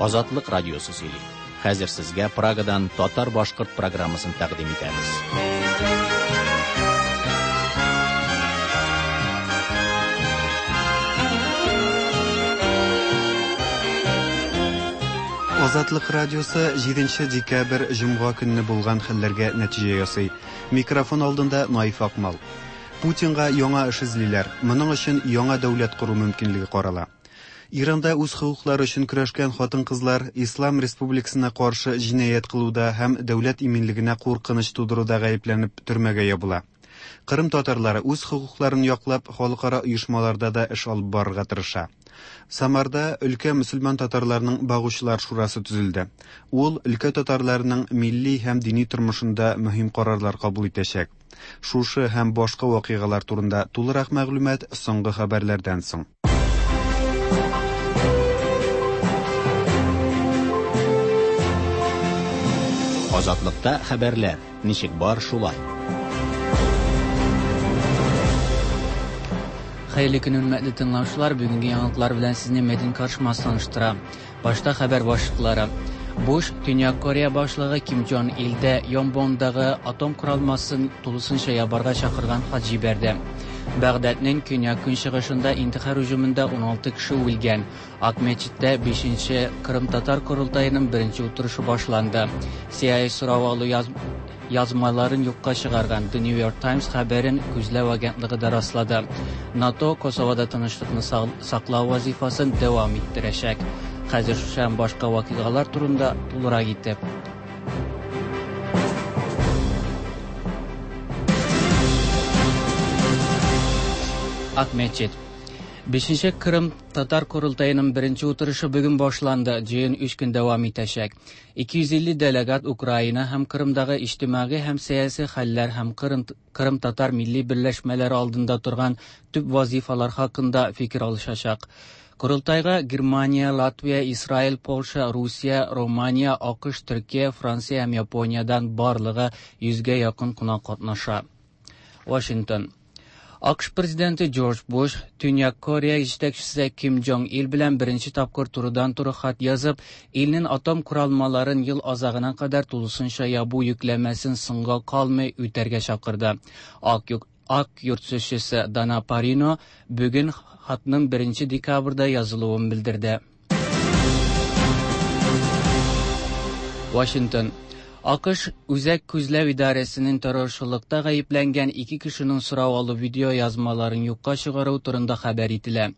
Азатлык радиосы сөйли. Хәзер сезгә Прагадан татар-башкорт программасын тәкъдим итәбез. Азатлык радиосы 7 декабрь җомга көнне булган хәлләргә нәтиҗә ясый. Микрофон алдында Наиф Акмал. Путинга яңа эш эзлиләр. Моның өчен яңа дәүләт кору мөмкинлеге карала. Иранда үз хокуклары өчен көрәшкән хатын-кызлар Ислам республикасына каршы җинаять кылуда һәм дәүләт иминлегенә куркыныч тудыруда гаепләнеп төрмәгә ябыла. Кырым татарлары үз хокукларын яклап халыкара оешмаларда да эш алып барырга тырыша. Самарда өлкә мөселман татарларының багучылар шурасы төзелде. Ул өлкә татарларының милли һәм дини тормышында мөһим карарлар кабул итәчәк. Шушы һәм башка вакыйгалар турында тулырак мәгълүмат соңгы хәбәрләрдән соң. Азатлыкта хәбәрләр ничек бар шулай. Хәерле көн, хөрмәтле тыңлаучылар. Бүгенге яңалыклар белән сезне Мәдин Каршмас таныштыра. Башта хәбәр башлыклары. Буш, Төньяк Корея башлыгы Ким Джон Илдә Йонбондагы атом коралмасын тулысынча ябарга чакырган хат җибәрде. Бәгъдәднең көньяк-көнчыгышында интихар һөҗүмендә 16 кеше үлгән. Ак мәчеттә 5нче Кырым татар корылтаеның беренче утырышы башланды. CIA сорау алу яз язмаларын юкка чыгарган The New York Times хәбәрен күзләү агентлыгы да раслады. НАТО Косовода тынычлыкны саклау вазифасын дәвам иттерәчәк. Хәзер шушы һәм башка вакыйгалар турында тулырак итеп. Ак мәчет. Бишенче Кырым татар корылтаеның беренче утырышы бүген башланды. Җыен 3 көн дәвам итәчәк. 250 делегат Украина һәм Кырымдагы иҗтимагый һәм сәяси хәлләр һәм Кырым, Кырым татар милли берләшмәләре алдында торган төп вазифалар хакында фикер алышачак. Корылтайга Германия, Латвия, Израиль, Польша, Русия, Романия, АКШ, Төркия, Франция һәм Япониядән барлыгы 100гә якын кунак катнаша. Вашингтон. АКШ президенты Джордж Буш Төньяк Корея җитәкчесе Ким Джонг Ил белән беренче тапкыр турыдан-туры хат язып, илнең атом коралмаларын ел азагына кадәр тулысынча ябу йөкләмәсен соңга калмый үтәргә чакырды. Ак, Ак йорт сүзчесе Дана Парино бүген хатның 1 декабрьдә язылуын белдерде. Вашингтон. АКШ Үзәк күзләү идарәсенең террорчылыкта гаепләнгән ике кешенең сорау алу видео язмаларын юкка чыгару турында хәбәр ителә.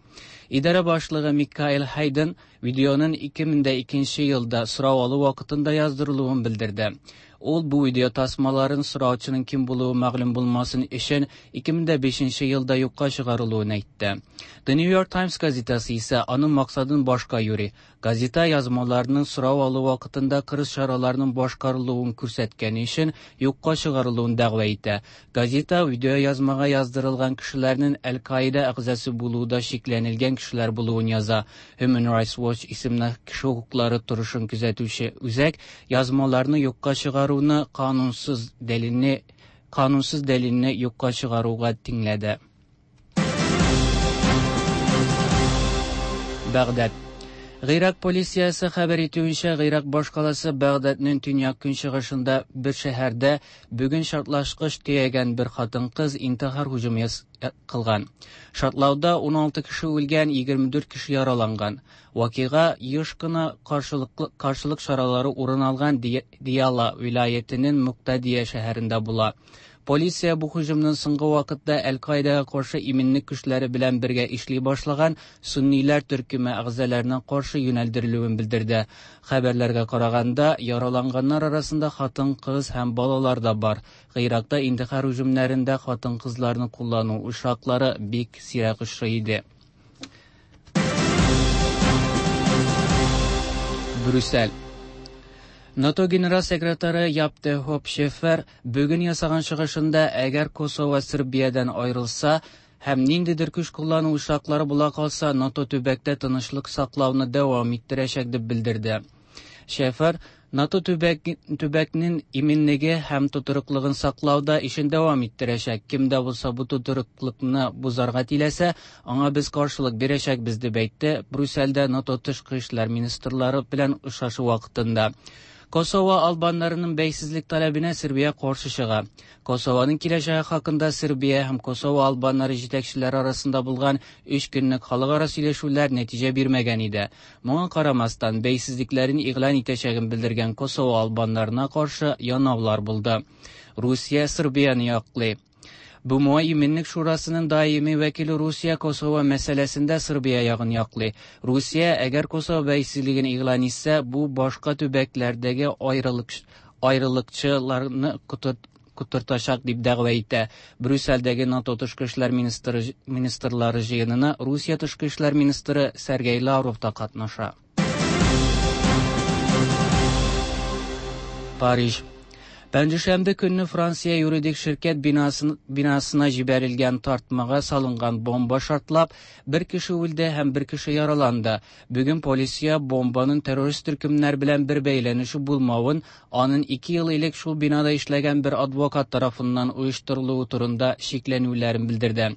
Идарә башлыгы Микаэл Хайден видеоның 2002 елда сорау алу вакытында яздырылуын белдерде. Ул бу видео тасмаларын сораучының кем булуы мәгълүм булмасын өчен 2005 елда юкка чыгарылуын әйтте. The New York Times газетасы исә аның максатын башка юри. Газета язмаларының сорау алу вакытында кырыс чараларның башкарылуын күрсәткәне өчен юкка чыгарылуын дәгъва итә. Газета видео язмага яздырылган кешеләрнең Әл-Каида әгъзасы булуында шикләнелгән кешеләр булуын яза. Human Rights Watch исемле кеше хокуклары торышын күзәтүче үзәк язмаларны юкка чыгаруны канунсыз дәлилне канунсыз дәлилне юкка чыгаруга тиңләде. Бәгъдәд. Гыйрак полициясе хәбәр итүенчә, Гыйрак башкаласы Бәгъдәднең төньяк көнчыгышында бер шәһәрдә бүген шартлашкыч төягән бер хатын-кыз интихар һөҗүме кылган. Шартлауда 16 кеше үлгән, 24 кеше яраланган. Вакыйга еш кына каршылык чаралары урын алган Дияла вилаятенең Муктадия шәһәрендә була. Полиция бу һөҗүмнең соңгы вакытта Әл-Каидаға каршы иминлек көчләре белән бергә эшли башлаган сунниләр төркеме әгъзаларына каршы юнәлдерелүен белдерде. Хәбәрләргә караганда, яраланганнар арасында хатын-кыз һәм балалар да бар. Гыйракта интихар һөҗүмнәрендә хатын-кызларны куллану очраклары бик сирәк очрый иде. Брюссель. НАТО генерал секретаре Яп де Хоп Шефер бүген ясаган чыгышында, әгәр Косово Сербиядән аерылса һәм ниндидер көч куллану очраклары була калса, НАТО төбәктә тынычлык саклауны дәвам иттерәчәк дип белдерде. Шефер НАТО төбәк, төбәкнең иминлеге һәм тотрыклыгын саклауда эшен дәвам иттерәчәк. Кем дә булса бу тотрыклыкны бозарга теләсә, аңа без каршылык бирәчәкбез, дип әйтте Брюссельдә НАТО тышкы эшләр министрлары белән очрашу вакытында. Косово албаннарының бәйсезлек таләбенә Сербия каршы чыга. Косованың киләчәге хакында Сербия һәм Косово албаннары җитәкчеләре арасында булган өч көнлек халыкара сөйләшүләр нәтиҗә бирмәгән иде. Моңа карамастан, бәйсезлекләрен игълан итәчәген белдергән Косово албаннарына каршы янаулар булды. Русия Сербияне яклый. БМО Иминлек Шурасының даими вәкиле Русия Косово мәсьәләсендә Сербия ягын яклый. Русия, әгәр Косово бәйсезлеген игълан итсә, бу башка төбәкләрдәге аерылык аерылыкчыларны котыртачак дип дәгъва итә. Брюссельдәге НАТО тышкы эшләр министры, министрлары җыенына Русия тышкы эшләр министры Сергей Лавров та катнаша. Париж. Пәнҗешәмбе көнне Франция юридик ширкәт бинасын, бинасына җибәрелгән тартмага салынган бомба шартлап, бер кеше үлде һәм бер кеше яраланды. Бүген полиция бомбаның террорист төркемнәр белән бер бәйләнеше булмавын, аның 2 ел элек шул бинада эшләгән бер адвокат тарафыннан оештырылуы турында шикләнүләрен белдерде.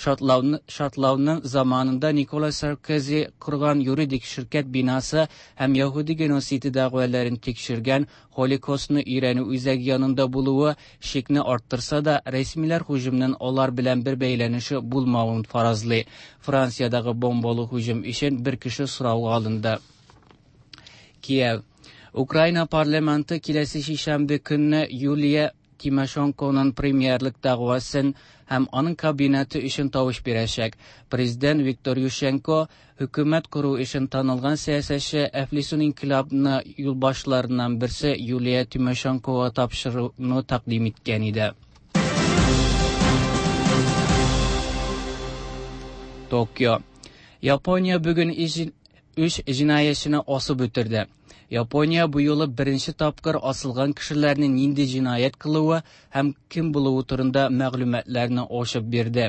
Шартлауны, шартлауның заманында Никола Саркози корган юридик ширкәт бинасы һәм яһүди геноциды дәгъваларын тикшергән Холокостны өйрәнү үзәге янында булуы шикне арттырса да, рәсмиләр һөҗүмнең алар белән бер бәйләнеше булмавын фаразлый. Франциядагы бомбалы һөҗүм өчен бер кеше сорауга алынды. Киев. Украина парламенты киләсе шишәмбе көнне Юлия Тимошенконың премьерлык дәгъвасын һәм аның кабинеты өчен тавыш бирәчәк. Президент Виктор Ющенко хөкүмәт кору өчен танылган сәясәтче Әфлисун инкыйлабны юлбашларыннан берсе Юлия Тимошенкога тапшыруны тәкъдим иткән иде. Токио. Япония бүген өч җинаятьчене асып үтерде. Япония бу юлы беренче тапкыр асылган кешеләрнең нинди җинаять кылуы һәм кем булуы турында мәгълүматларны ачып бирде.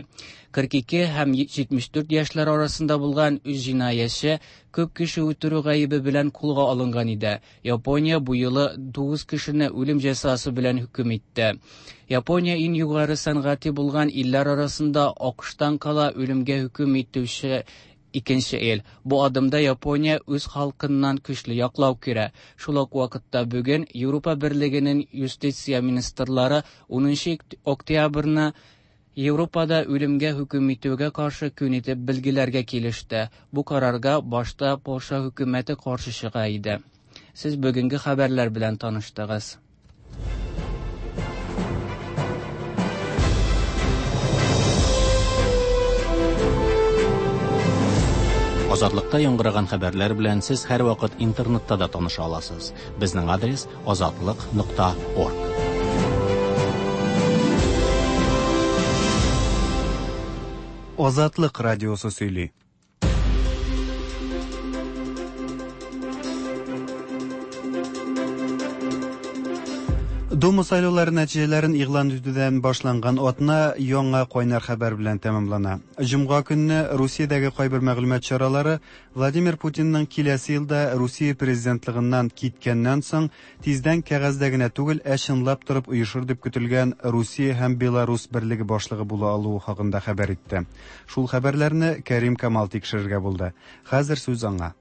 42 һәм 74 яшьләр арасында булган өч җинаятьче күп кеше үтерү гаебе белән кулга алынган иде. Япония бу юлы 9 кешене үлем җәзасы белән хөкем итте. Япония иң югары сәнгати булган илләр арасында АКШтан кала үлемгә хөкем итүче икенче ил. Бу адымда Япония үз халкыннан көчле яклау күрә. Шул ук вакытта бүген Европа Берлегенең юстиция министрлары 10 октябрьне Европада үлемгә хөкем итүгә каршы көн итеп билгеләргә килеште. Бу карарга башта Польша хөкүмәте каршы чыга иде. Сез бүгенге хәбәрләр белән таныштыгыз. Азатлыкта яңгыраган хәбәрләр белән сез һәрвакыт интернетта да таныша аласыз. Безнең адрес azatliq.org. Азатлык радиосы сөйли. Дума сайлаулары нәтиҗәләрен игълан итүдән башланган атна яңа кайнар хәбәр белән тәмамлана. Җомга көнне Русиядәге кайбер мәгълүмат чаралары Владимир Путинның киләсе елда Русия президентлыгыннан киткәннән соң тиздән кәгазьдә генә түгел, ә чынлап торып оешыр дип көтелгән Русия һәм Беларус берлеге башлыгы була алуы хакында хәбәр итте. Шул хәбәрләрне Кәрим Камал тикшерергә булды. Хәзер сүз аңа.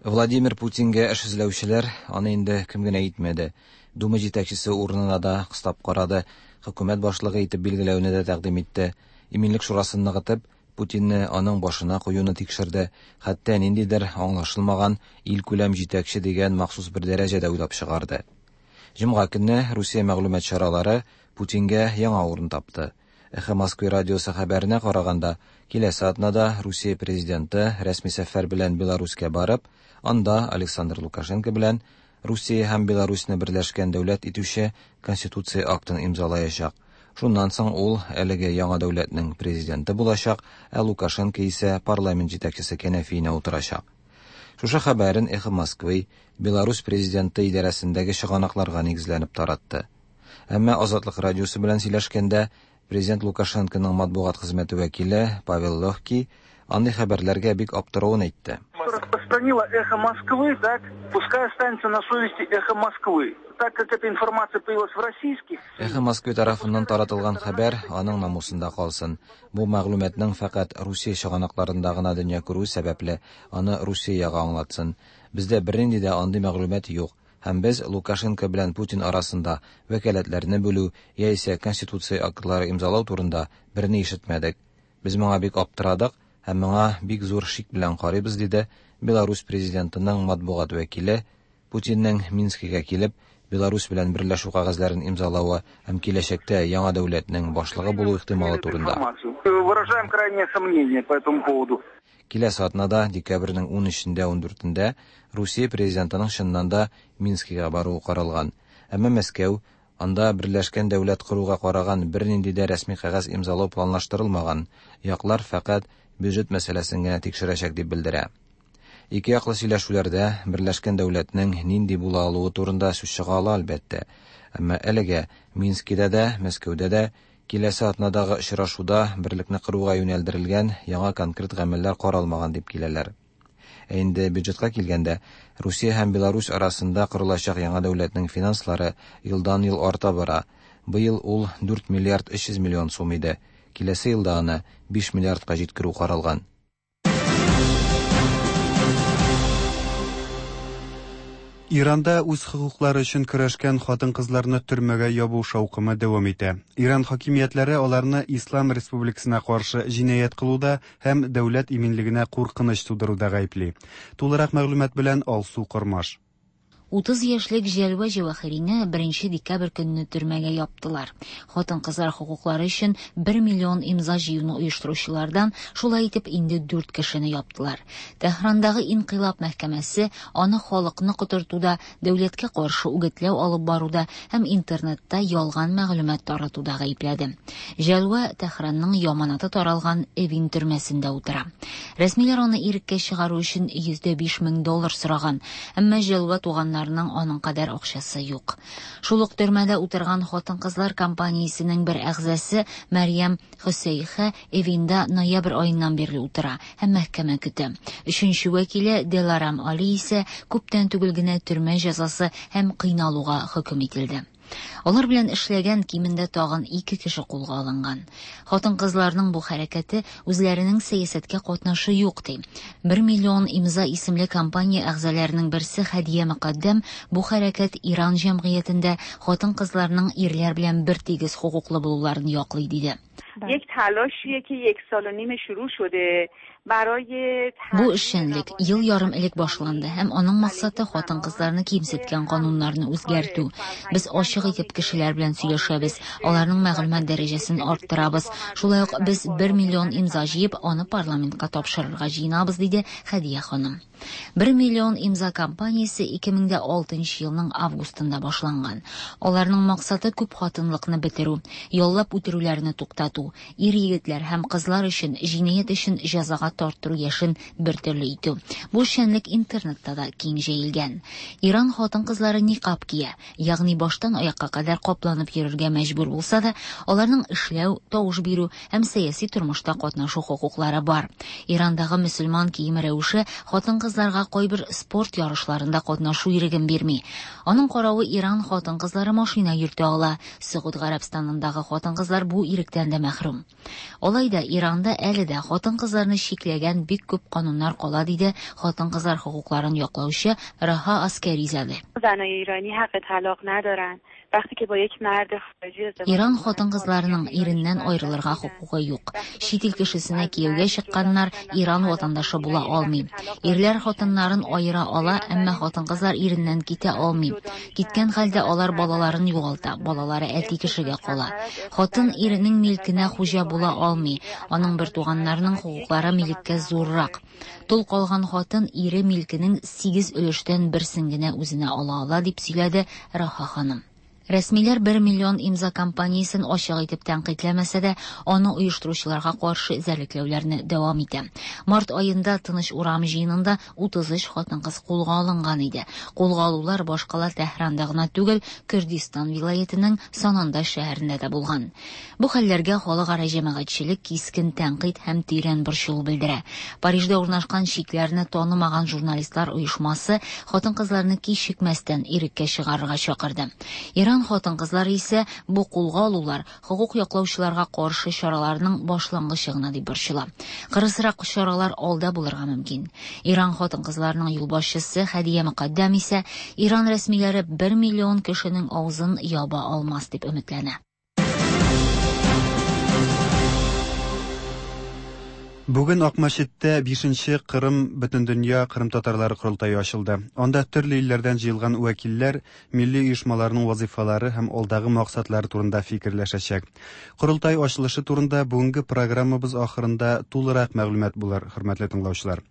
Владимир Путингә эш эзләүчеләр аны инде кем генә итмәде. Дума җитәкчесе урынына да кыстап карады, хөкүмәт башлыгы итеп билгеләүне дә тәкъдим итте. Иминлек шурасын ныгытып, Путинны аның башына куюны тикшерде, хәтта ниндидер аңлашылмаган илкүләм җитәкче дигән махсус бер дәрәҗә дә уйлап чыгарды. Җомга көнне Русия мәгълүмат чаралары Путингә яңа урын тапты. Эхо Москвы радиосы хәбәренә караганда, киләсе атнада Русия президенты рәсми сәфәр белән Беларуська барып, анда Александр Лукашенко белән Русия һәм Беларусьны берләшкән дәүләт итүче Конституция актын имзалаячак. Шуннан соң ул әлеге яңа дәүләтнең президенты булачак, ә Лукашенко исә парламент җитәкчесе кәнәфиенә утырачак. Шушы хәбәрен Эхо Москвы Беларусь президенты идарәсендәге чыганакларга нигезләнеп таратты. Әмма Азатлык радиосы белән сөйләшкәндә президент Лукашенконың матбугат хезмәте вәкиле Павел Легкий андый хәбәрләргә бик аптыравын әйтте. Что Распространила «Эхо Москвы», так, пускай останется на совести «Эхо Москвы». Так как эта информация появилась в российских... «Эхо Москвы» тарафыннан таратылган хәбәр аның намусында калсын. Бу мәгълүматның фәкать Русия чыганакларында гына дөнья күрүе сәбәпле, аны Русия ягы аңлатсын. Бездә бернинди дә андый мәгълүмат юк. Һәм без Лукашенко белән Путин арасында вәкаләтләрне бүлү яисә конституция актлары имзалау турында берни ишетмәдек. Без моңа бик аптырадык һәм моңа бик зур шик белән карыйбыз, диде Беларусь президентының матбугат вәкиле Путинның Минскига килеп, Беларусь белән берләшү кәгазьләрен имзалавы һәм киләчәктә яңа дәүләтнең башлыгы булу ихтималы турында. Выражаем крайнее сомнение по этому поводу. Киләсе атнада, декабрьнең 13-ндә 14-ндә, Русия президентының чыннан да Минскига баруы каралган. Әмма Мәскәү анда берләшкән дәүләт коруга караган бернинди дә рәсми кәгазь имзалау планлаштырылмаган, яклар фәкать бюджет мәсьәләсен генә тикшерәчәк дип белдерә. Ике яклы сөйләшүләрдә берләшкән дәүләтнең нинди була алуы турында сүз чыга ала, әлбәттә. Әмма әлегә Минскида да, Мәскәүдә дә киләсе атнадагы очрашуда берлекне коруга юнәлдерелгән яңа конкрет гамәлләр каралмаган дип киләләр. Ә инде бюджетка килгәндә, Русия һәм Беларусь арасында корылачак яңа дәүләтнең финанслары елдан-ел арта бара. Быел ул 4 миллиард 300 миллион сум иде. Киләсе елда аны 5 миллиардка җиткерү каралган. Иранда үз хокуклары өчен көрәшкән хатын-кызларны төрмәгә ябу шаукымы дәвам итә. Иран хакимиятләре аларны Ислам республикасына каршы җинаять кылуда һәм дәүләт иминлегенә куркыныч тудыруда гаепли. Тулырак мәгълүмат белән Алсу Кормаш. 30 яшьлек Җәлвә Җәвахирине 1 декабрь көнне төрмәгә яптылар. Хатын-кызлар хокуклары өчен 1 миллион имза җыюны оештыручылардан шулай итеп инде 4 кешене яптылар. Тәһрандагы инкыйлаб мәхкәмәсе аны халыкны котыртуда, дәүләткә каршы үгетләү алып баруда һәм интернетта ялган мәгълүмат таратуда гаепләде. Җәлвә Тәһранның яманаты таралган Эвин төрмәсендә утыра. Рәсмиләр аны иреккә чыгару өчен 105 мең доллар сораган, әмма Җәлвә туганнарының аның кадәр акчасы юк. Шул ук төрмәдә утырган хатын-кызлар компаниясенең бер әгъзасы Мәрьям Хөсәйхә Эвинда ноябрь аеннан бирле утыра һәм мәхкәмә көтә. Өченче вәкиле Деларам Али исә күптән түгел генә төрмә җәзасы һәм кыйналуга хөкем ителде. Алар белән эшләгән кимендә тагын 2 кеше кулга алынган. Хатын-кызларның бу хәрәкәте үзләренең сәясәткә катнашы юк ди. 1 миллион имза исемле компания әгъзаларының берсе Хәдия Мөкаддәм бу хәрәкәт Иран җәмгыятендә хатын-кызларның ирләр белән бер тигез хокуклы булуларын яклый диде. یک تلاشیه که یک سال و نیم شروع شده برای Бу эшчәнлек ел ярым элек башланды һәм аның максаты хатын-кызларны кимсеткән кануннарны үзгәртү. Без ачык итеп кешеләр белән сөйләшәбез, аларның мәгълүмат дәрәҗәсен арттырабыз. Шулай ук без 1 миллион имза җыеп, аны парламентка тапшырырга җыенабыз, диде Хәдия ханым. 1 миллион имза кампаниясе 2006 елның августында башланган. Аларның максаты күп хатынлыкны бетерү, яллап үтерүләрне туктату, ир-егетләр һәм кызлар өчен җинаять өчен җәзага тарттыру яшен бер төрле итү. Бу эшчәнлек интернетта да киң җәелгән. Иран хатын-кызлары никаб кия, ягъни баштан аякка кадәр капланып йөрергә мәҗбүр булса да, аларның эшләү, тавыш бирү һәм сәяси тормышта катнашу хокуклары бар. Ирандагы мөселман киеме рәвеше хатын-кызларга кайбер спорт ярышларында катнашу иреген бирми. Аның каравы Иран хатын-кызлары машина йөртә ала. Согуд Гарәбстанындагы хатын-кызлар бу иректән дә мәхрүм. Алай да Иранда әле дә хатын-кызларны чикләгән бик күп кануннар кала, диде хатын-кызлар хокукларын яклаучы Раһа Аскәризаде. زنای ایرانی حق طلاق ندارن. وقتی که با یک مرد خارجی ازدواج Иран хатын-кызларының иреннән аерылырга хокукы юк. Чит ил кешесенә кияүгә чыкканнар Иран ватандашы була алмый. Ирләр хатыннарын аера ала, әмма хатын-кызлар иреннән китә алмый. Киткән хәлдә алар балаларын югалта, балалары әти кешегә кала. Хатын иренең милкенә хуҗа була алмый. Аның бер туганнарының хокуклары милеккә зуррак. Тол калган хатын ире милкенең 8 өлештән берсен генә үзенә ала ала, дип сөйләде Раһа ханым. Рәсмиләр 1 миллион имза кампаниясен ачык итеп тәнкыйтьләмәсә дә, аны оештыручыларга каршы эзәрлекләүләрне дәвам итә. Март аенда Тыныч урам җыенында 33 хатын-кыз кулга алынган иде. Кулга алулар башкала Тәһранда гына түгел, Көрдистан вилаятенең Санандаҗ шәһәрендә дә булган. Бу хәлләргә халыкара җәмәгатьчелек кискен тәнкыйть һәм тирән борчылу белдерә. Парижда урнашкан Чикләрне танымаган журналистлар оешмасы хатын-кызларны кичекмәстән иреккә чыгарырга чакырды. Иран хатын-кызлары исә бу кулга алулар хокук яклаучыларга каршы чараларның башлангычы гына дип борчыла. Кырысрак чаралар алда булырга мөмкин. Иран хатын-кызларының юлбашчысы Хәдия Мөкаддәм исә Иран рәсмиләре 1 миллион кешенең авызын яба алмас дип өметләнә. Бүген Акмәчеттә 5нче Кырым Бөтендөнья кырымтатарлары корылтае ачылды. Анда төрле илләрдән җыелган вәкилләр милли оешмаларның вазыйфалары һәм алдагы максатлары турында фикерләшәчәк. Корылтай ачылышы турында бүгенге программабыз ахырында тулырак мәгълүмат булыр, хөрмәтле тыңлаучылар.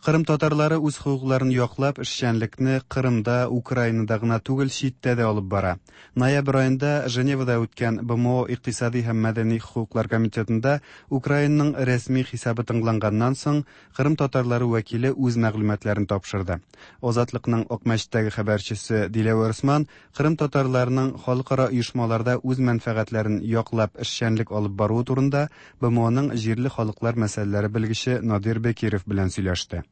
Кырым татарлары үз хокукларын яклап, эшчәнлекне Кырымда, Украинада гына түгел, читтә дә алып бара. Ноябрь аенда Женевада үткән БМО икътисади һәм мәдәни хокуклар комитетында Украинаның рәсми хисабы тыңланганнан соң, Кырым татарлары вәкиле үз мәгълүматларын тапшырды. Азатлыкның Акмәчеттәге хәбәрчесе Диләвәр Усман Кырым татарларының халыкара оешмаларда үз мәнфәгатьләрен яклап эшчәнлек алып баруы турында БМОның җирле халыклар мәсьәләләре белгече Надир Бекиров белән сөйләште.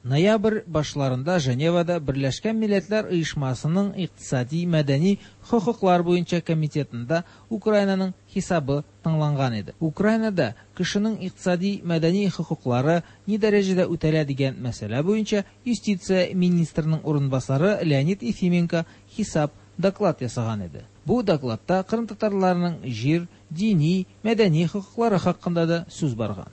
Ноябрь башларында Женевада Берләшкән Милләтләр Оешмасының икътисади, мәдәни хокуклар буенча комитетында Украинаның хисабы тыңланган иде. Украинада кешенең икътисади, мәдәни хокуклары ни дәрәҗәдә үтәлә дигән мәсьәлә буенча юстиция министрының урынбасары Леонид Ефименко хисап доклад ясаган иде. Бу докладта кырымтатарларның җир, дини, мәдәни хокуклары хакында да сүз барган.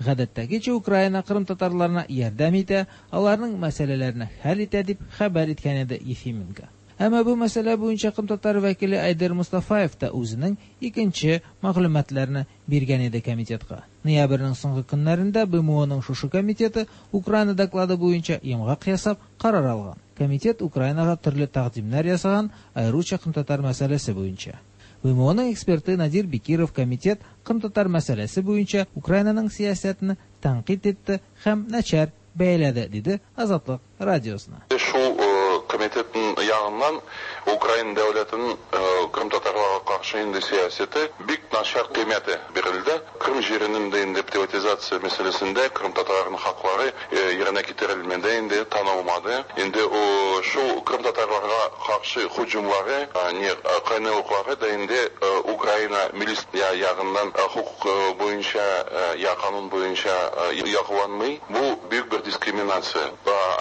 Гадәттәгечә Украина кырымтатарларына ярдәм итә, аларның мәсьәләләрен хәл итә дип хәбәр иткән иде Ефименко. Әмма бу мәсьәлә буенча кырымтатар вәкиле Айдер Мустафаев та үзенең икенче мәгълүматларны биргән иде комитетка. Ноябрьнең соңгы көннәрендә БМОның шушы комитеты Украина доклады буенча йомгак ясап карар алган. Комитет Украинага төрле тәкъдимнәр ясаган, аеруча кырымтатар мәсьәләсе буенча. БМОның эксперты Надир Бекиров комитет кырымтатар мәсьәләсе буенча Украинаның сәясәтен тәнкыйть итте һәм начар бәяләде, диде Азатлык радиосына. Шул комитетның ягыннан Украина дәүләтенең кырымтатарларга каршы инде сәясәте бик начар кыйммәте бирелде. Кырым җиренең дә инде приватизация мәсьәләсендә кырымтатарларның хаклары yerine китерелмәде, инде танылмады. Инде шул кырымтатарларга каршы һөҗүмләре, не кайнарлыклары да инде Украина милис ягыннан хукук буенча я канун буенча якланмый. Бу бөек бер дискриминация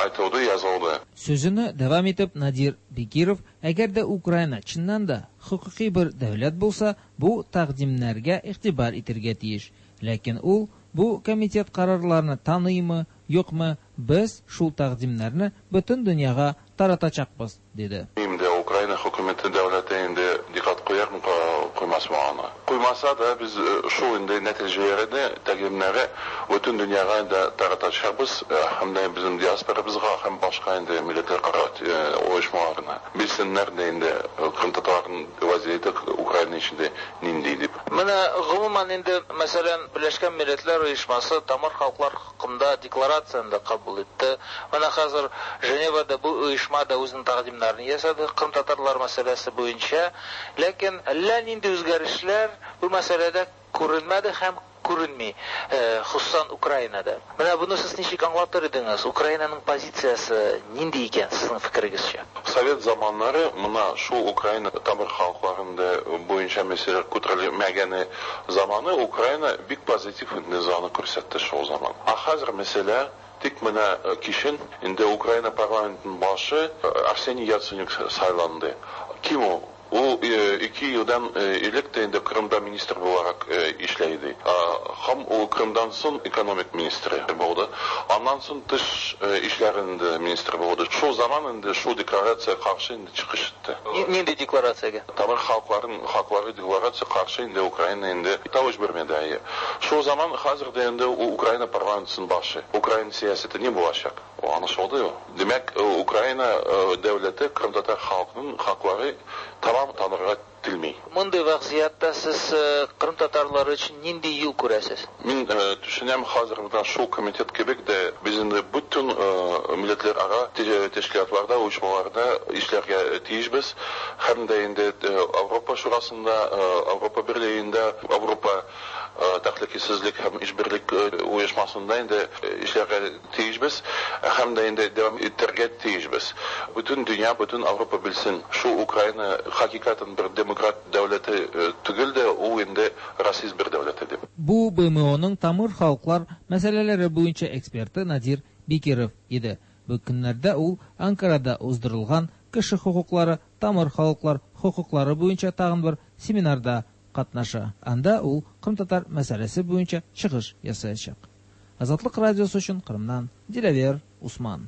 айтылды, язылды. Сүзен дәвам итеп Надир Бекиров, әгәр дә Украина чыннан да хокукый бер дәүләт булса, бу тәкъдимнәргә игътибар итәргә тиеш. Ләкин ул бу комитет карарларны таныймы, юкмы, без шул тәкъдимнәрне бөтен дөньяга таратачакбыз, диде. Инде Украина хөкүмәте дәүләте инде диккать куярмы, куймасмы аны. Куймаса да без шул инде нәтиҗәләрне, тәкъдимнәрне бөтен дөньяга да таратачакбыз, һәм дә безнең диаспорабызга һәм башка инде милләтләр оешмаларына. Белсеннәр дә инде кырымтатарларның вазiyeti Украина эчендә нинди дип. Менә гомумән инде, мәсәлән, Берләшкән Милләтләр Оешмасы тамыр халыклар хакында декларацияне дә кабул итте. Менә хәзер Женевада бу оешма да үзенең тәкъдимнәрен ясады кырымтатарлар мәсьәләсе буенча. Ләкин әллә нинди үзгәрешләр бу мәсьәләдә күренмәде һәм күренми, хосусан Украинада. Менә буны сез ничек аңлатыр идегез? Украинаның позициясе нинди икән сезнең фикерегезчә? Совет заманнары мына шул Украина тамыр халыкларында буенча мәсьәләләр күтәрелмәгәне заманы Украина бик позитив низаны күрсәтте шул заман. Ә хәзер мәсьәлә тик менә кичен инде Украина парламентының башы Арсений Яценюк сайланды. Ким ул? Ул 2 елдан элек тә инде Кырымда министр буларак эшләйде. Һәм ул Кырымдан соң экономик министры булды. Аннан соң тыш эшләрендә министр булды. Шул заман инде шул декларация каршы инде чыгыш итте. Нинди декларациягә? Тамыр халыкларының хаклары декларация каршы инде Украина инде тавыш бирмәде. Шул заман хәзер дә инде Украина парламентының башы. Украина сәясәте ни булачак? Аңлашылды. Димәк, Украина дәүләте кырымтатар халкының хаклары ислам танырга телми. Мондый вазгыятьтә сез кырым татарлары өчен нинди юл күрәсез? Мин төшенәм, хәзер менә шул комитет кебек дә без инде бөтен милләтләрара тәшкилатларда, оешмаларда эшләргә тиешбез. Һәм дә инде Авропа шурасында, Авропа берлегендә, Авропа тәхликесезлек һәм ишберлек оешмасында инде эшләргә тиешбез һәм дә инде дәвам итәргә тиешбез. Бөтен дөнья, бөтен Авропа белсен, шул Украина хакыйкатен бер демократ дәүләте түгел дә, ул инде расист бер дәүләте дип. Бу БМОның тамыр халыклар мәсьәләләре буенча эксперты Надир Бекиров иде. Бу көннәрдә ул Анкарада уздырылган кеше хокуклары, тамыр халыклар хокуклары буенча тагын бер семинарда катнаша. Анда ул кырымтатар мәсьәләсе буенча чыгыш ясаячак. Азатлык радиосы өчен Кырымнан Диләвер Усман.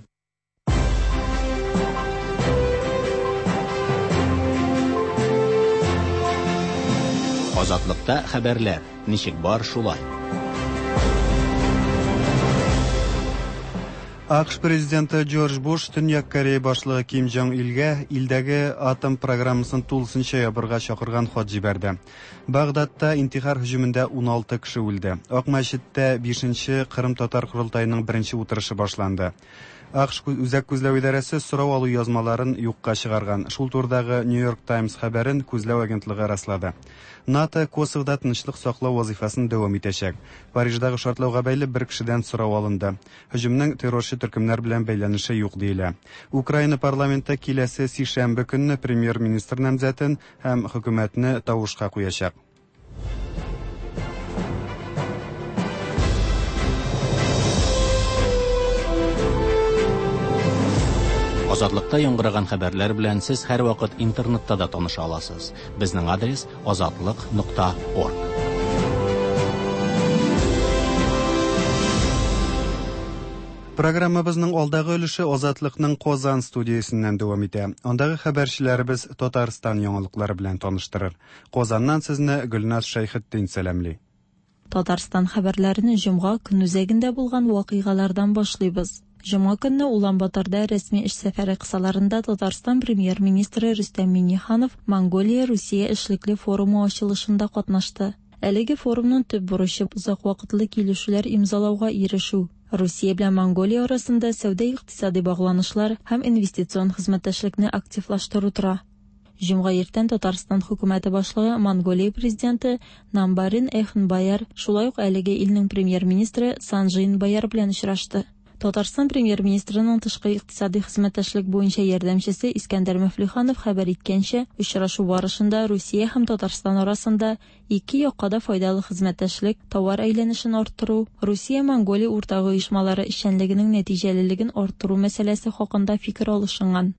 Азатлыкта хәбәрләр ничек бар шулай. АКШ президенты Джордж Буш Төньяк Корея башлыгы Ким Джонг Илгә илдәге атом программасын тулысынча ябырга чакырган хат җибәрде. Багдадта интихар һөҗүмендә 16 кеше үлде. Ак мәчеттә 5нче Кырым татар корылтаеның беренче утырышы башланды. АКШ Үзәк күзләү идарәсе сорау алу язмаларын юкка чыгарган. Шул турыдагы New York Times хәбәрен күзләү агентлыгы раслады. НАТО Косовода тынычлык саклау вазифасын дәвам итәчәк. Париждагы шартлауга бәйле бер кешедән сорау алынды. Һөҗүмнең террорчы төркемнәр белән бәйләнеше юк диелә. Украина парламенты киләсе сишәмбе көнне премьер-министр намзәтен һәм хөкүмәтне тавышка куячак. Азатлыкта яңгыраган хәбәрләр белән сез һәрвакыт интернетта да таныша аласыз. Безнең адрес azatliq.org. Программабызның алдагы өлеше Азатлыкның Казан студиясеннән дәвам итә. Андагы хәбәрчеләребез Татарстан яңалыклары белән таныштырыр. Казаннан сезне Гөлназ Шәйхетдин сәламли. Татарстан хәбәрләрен җомга көн үзәгендә булган вакыйгалардан башлыйбыз. Җомга көнне Улан-Баторда рәсми эш сәфәре кысаларында Татарстан премьер-министры Рөстәм Миңнеханов Монголия-Русия эшлекле форумы ачылышында катнашты. Әлеге форумның төп бурычы озак вакытлы килешүләр имзалауга ирешү. Русия белән Монголия арасында сәүдә-икътисади багланышлар һәм инвестицион хезмәттәшлекне активлаштыру тора. Җомга иртән Татарстан хөкүмәте башлыгы Монголия президенты Намбарын Эхнбаяр, шулай ук әлеге илнең премьер-министры Санжин Баяр белән очрашты. Татарстан премьер-министрының тышкы икътисади хезмәттәшлек буенча ярдәмчесе Искәндәр Мөфлиханов хәбәр иткәнчә, очрашу барышында Русия һәм Татарстан арасында ике якка да файдалы хезмәттәшлек, товар әйләнешен арттыру, Русия-Монголия уртак оешмалары эшчәнлегенең нәтиҗәлелеген арттыру мәсьәләсе хакында фикер алышынган.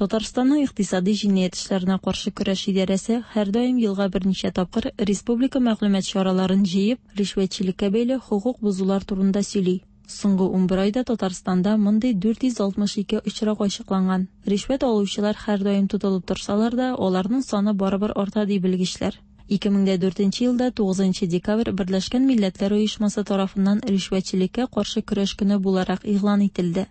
Татарстанның икътисади җинаять эшләренә каршы көрәш идарәсе һәрдаим елга берничә тапкыр республика мәгълүмат чараларын җыеп, ришвәтчелеккә бәйле хокук бозулар турында сөйли. Соңгы 11 айда Татарстанда мондый 462 очрак ачыкланган. Ришвәт алучылар һәрдаим тотылып торсалар да, аларның саны барыбер арта ди белгечләр. 2004 елда 9 декабрь Берләшкән Милләтләр Оешмасы тарафыннан ришвәтчелеккә каршы көрәш көне буларак игълан ителде.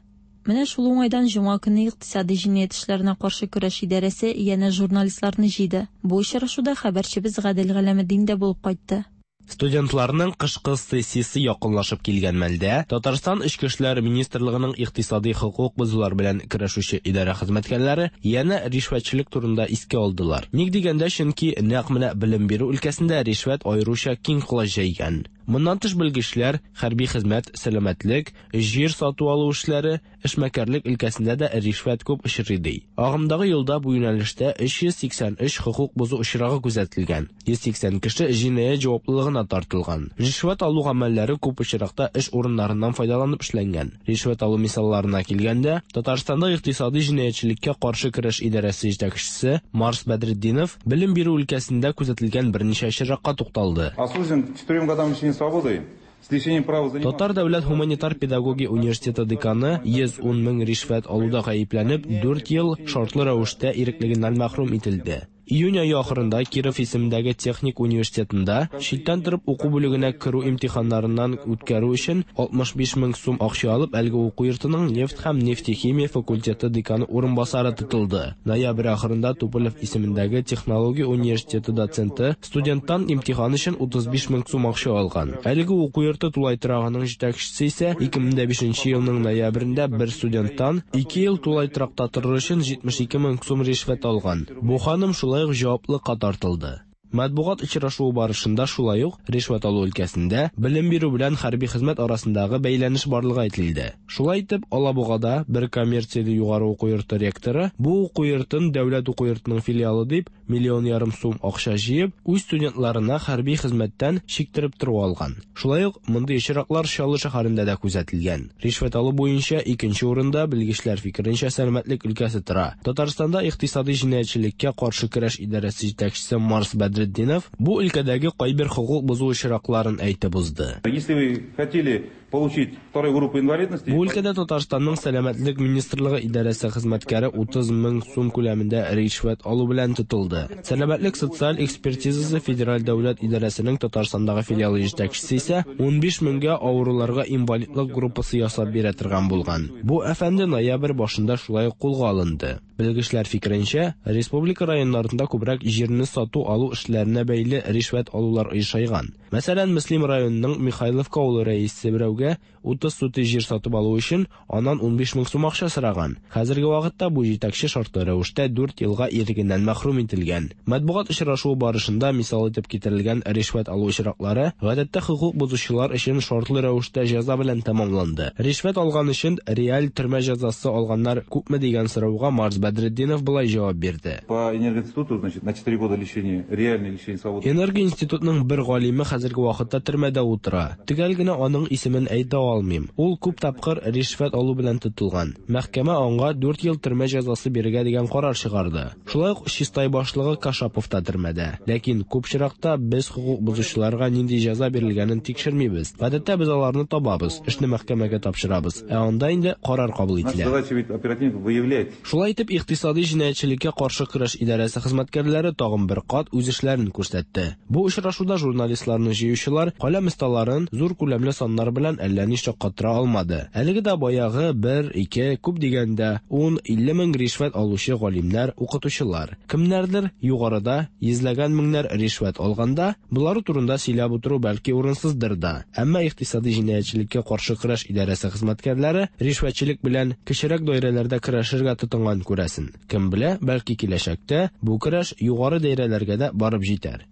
Менә шул уңайдан җомга көне икътисади җинаять эшләренә каршы көрәш идарәсе янә журналистларны җыйды. Бу очрашуда хәбәрчебез Гадел Галәметдин дә булып кайтты. Студентларның кышкы сессиясе якынлашып килгән мәлдә Татарстан Эчке эшләр министрлыгының икътисади хокук бозулар белән көрәшүче идарә хезмәткәрләре янә ришвәтчелек турында искә алдылар. Ник дигәндә, чөнки нәкъ менә белем бирү өлкәсендә ришвәт аеруча киң колач җәйгән. Моннан тыш белгечләр хәрби хезмәт, сәламәтлек, җир сату алу эшләре, эшмәкәрлек өлкәсендә дә ришвәт күп очрый ди. Агымдагы елда бу юнәлештә 383 хокук бозу очрагы күзәтелгән. 180 кеше җинаять җаваплылыгына тартылган. Ришвәт алу гамәлләре күп очракта эш урыннарыннан файдаланып эшләнгән. Ришвәт алу мисалларына килгәндә, Татарстанда икътисади җинаятьчелеккә каршы көрәш идарәсе җитәкчесе Марс Бәдретдинов белем бирү өлкәсендә күзәтелгән берничә очракка тукталды. Осужден к 4 годам лишения свободы с лишением права заниматься. Татар дәүләт һуманитар педагогия университеты деканы 110 мең ришвәт алуда гаепләнеп, 4 ел шартлы рәвештә иреклегеннән мәхрүм ителде. Июнь ае ахырында Киров исемендәге техник университетында читтән торып уку бүлегенә керү имтиханнарыннан үткәрү өчен 65 мең сум акча алып, әлеге уку йортының нефть һәм нефтехимия факультеты деканы урынбасары тотылды. Ноябрь ахырында Туполев исемендәге технология университеты доценты студенттан имтихан өчен 35 мең сум акча алган. Әлеге уку йорты тулай торагының җитәкчесе исә 2005 елның ноябрендә бер студенттан 2 ел тулай торакта торыр өчен 72 мең сум ришвәт алган. Бу ханым шулай ук җаваплылыкка тартылды. Матбугат очрашуы барышында шулай ук ришвәт алу өлкәсендә белем бирү белән хәрби хезмәт арасындагы бәйләнеш барлыгы әйтелде. Шулай итеп, Алабугада бер коммерцияле югары уку йорты ректоры бу уку йортын дәүләт уку йортының филиалы дип 1,5 миллион сум акча җыеп, үз студентларына хәрби хезмәттән чиктереп тору алган. Шулай ук мондый очраклар Чаллы шәһәрендә дә күзәтелгән. Ришвәт алу буенча икенче урында белгечләр фикеренчә сәламәтлек өлкәсе тора. Татарстанда икътисади җинаятьчелеккә каршы көрәш идарәсе җитәкчесе Марс Бәдретдинов бу өлкәдәге кайбер хокук бозу очракларын әйтеп узды. Если вы хотели получить вторую группу инвалидности... Бу өлкәдә Татарстанның сәламәтлек министрлыгы идарәсе хезмәткәре 30 мең сум күләмендә ришвәт алу белән тотылды. Сәламәтлек социаль экспертизасы федераль дәүләт идарәсенең Татарстандагы филиалы җитәкчесе исә 15 меңгә авыруларга инвалидлык группасы ясап бирә торган булган. Бу әфәнде ноябрь башында шулай ук кулга алынды. Белгечләр фикеренчә, республика районнарында күбрәк җирне сату-алу эшләренә бәйле ришвәт алулар оешайган. Мәсәлән, Мөслим районының Михайловка авылы рәисе берәүгә 30 сутый җир сатып алу өчен аннан 15 мең сум акча сораган. Хәзерге вакытта бу җитәкче шартлы рәвештә 4 елга ирегеннән мәхрүм ителгән. Матбугат очрашуы барышында мисал итеп китерелгән ришвәт алу очраклары гадәттә хокук бозучылар өчен шартлы рәвештә җәза белән тәмамланды. Ришвәт алган өчен реаль төрмә җәзасы алганнар күпме дигән сорауга Марс Бәдретдинов болай җавап бирде. По энергоинституту, значит, на 4 года лишения, реальное лишение свободы. Энергоинститутның бер галиме хәзерге вакытта төрмәдә утыра. Төгәл генә аның исемен әйтә алмыйм. Ул күп тапкыр ришвәт алу белән тотылган. Мәхкәмә аңа 4 ел төрмә җәзасы бирергә дигән карар чыгарды. Шулай ук Чистай башлыгы Кашапов та төрмәдә. Ләкин күп очракта без хокук бозучыларга нинди җәза бирелгәнен тикшермибез. Гадәттә без аларны табабыз, эшне мәхкәмәгә тапшырабыз. Ә анда инде карар кабул Наша ителә. задача ведь оперативников выявлять. Шулай итеп, икътисади җинаятьчелеккә каршы көрәш идарәсе хезмәткәрләре тагын бер кат үз эшләрен күрсәтте. Бу очрашуда журналистларны җыючылар каләм осталарын зур күләмле саннар белән әллә ни шаккатыра алмады. Әлеге дә баягы 1, 2, күп дигәндә 10, 50 мең ришвәт алучы галимнәр, укытучылар. Кемнәрдер югарыда йөзләгән меңнәр ришвәт алганда, болары турында сөйләп утыру бәлки урынсыздыр да. Әмма икътисади җинаятьчелеккә каршы көрәш идарәсе хезмәткәрләре ришвәтчелек белән кечерәк даирәләрдә көрәшергә тотынган күрәсен. Кем белә, бәлки киләчәктә бу көрәш югары даирәләргә дә барып җитәр.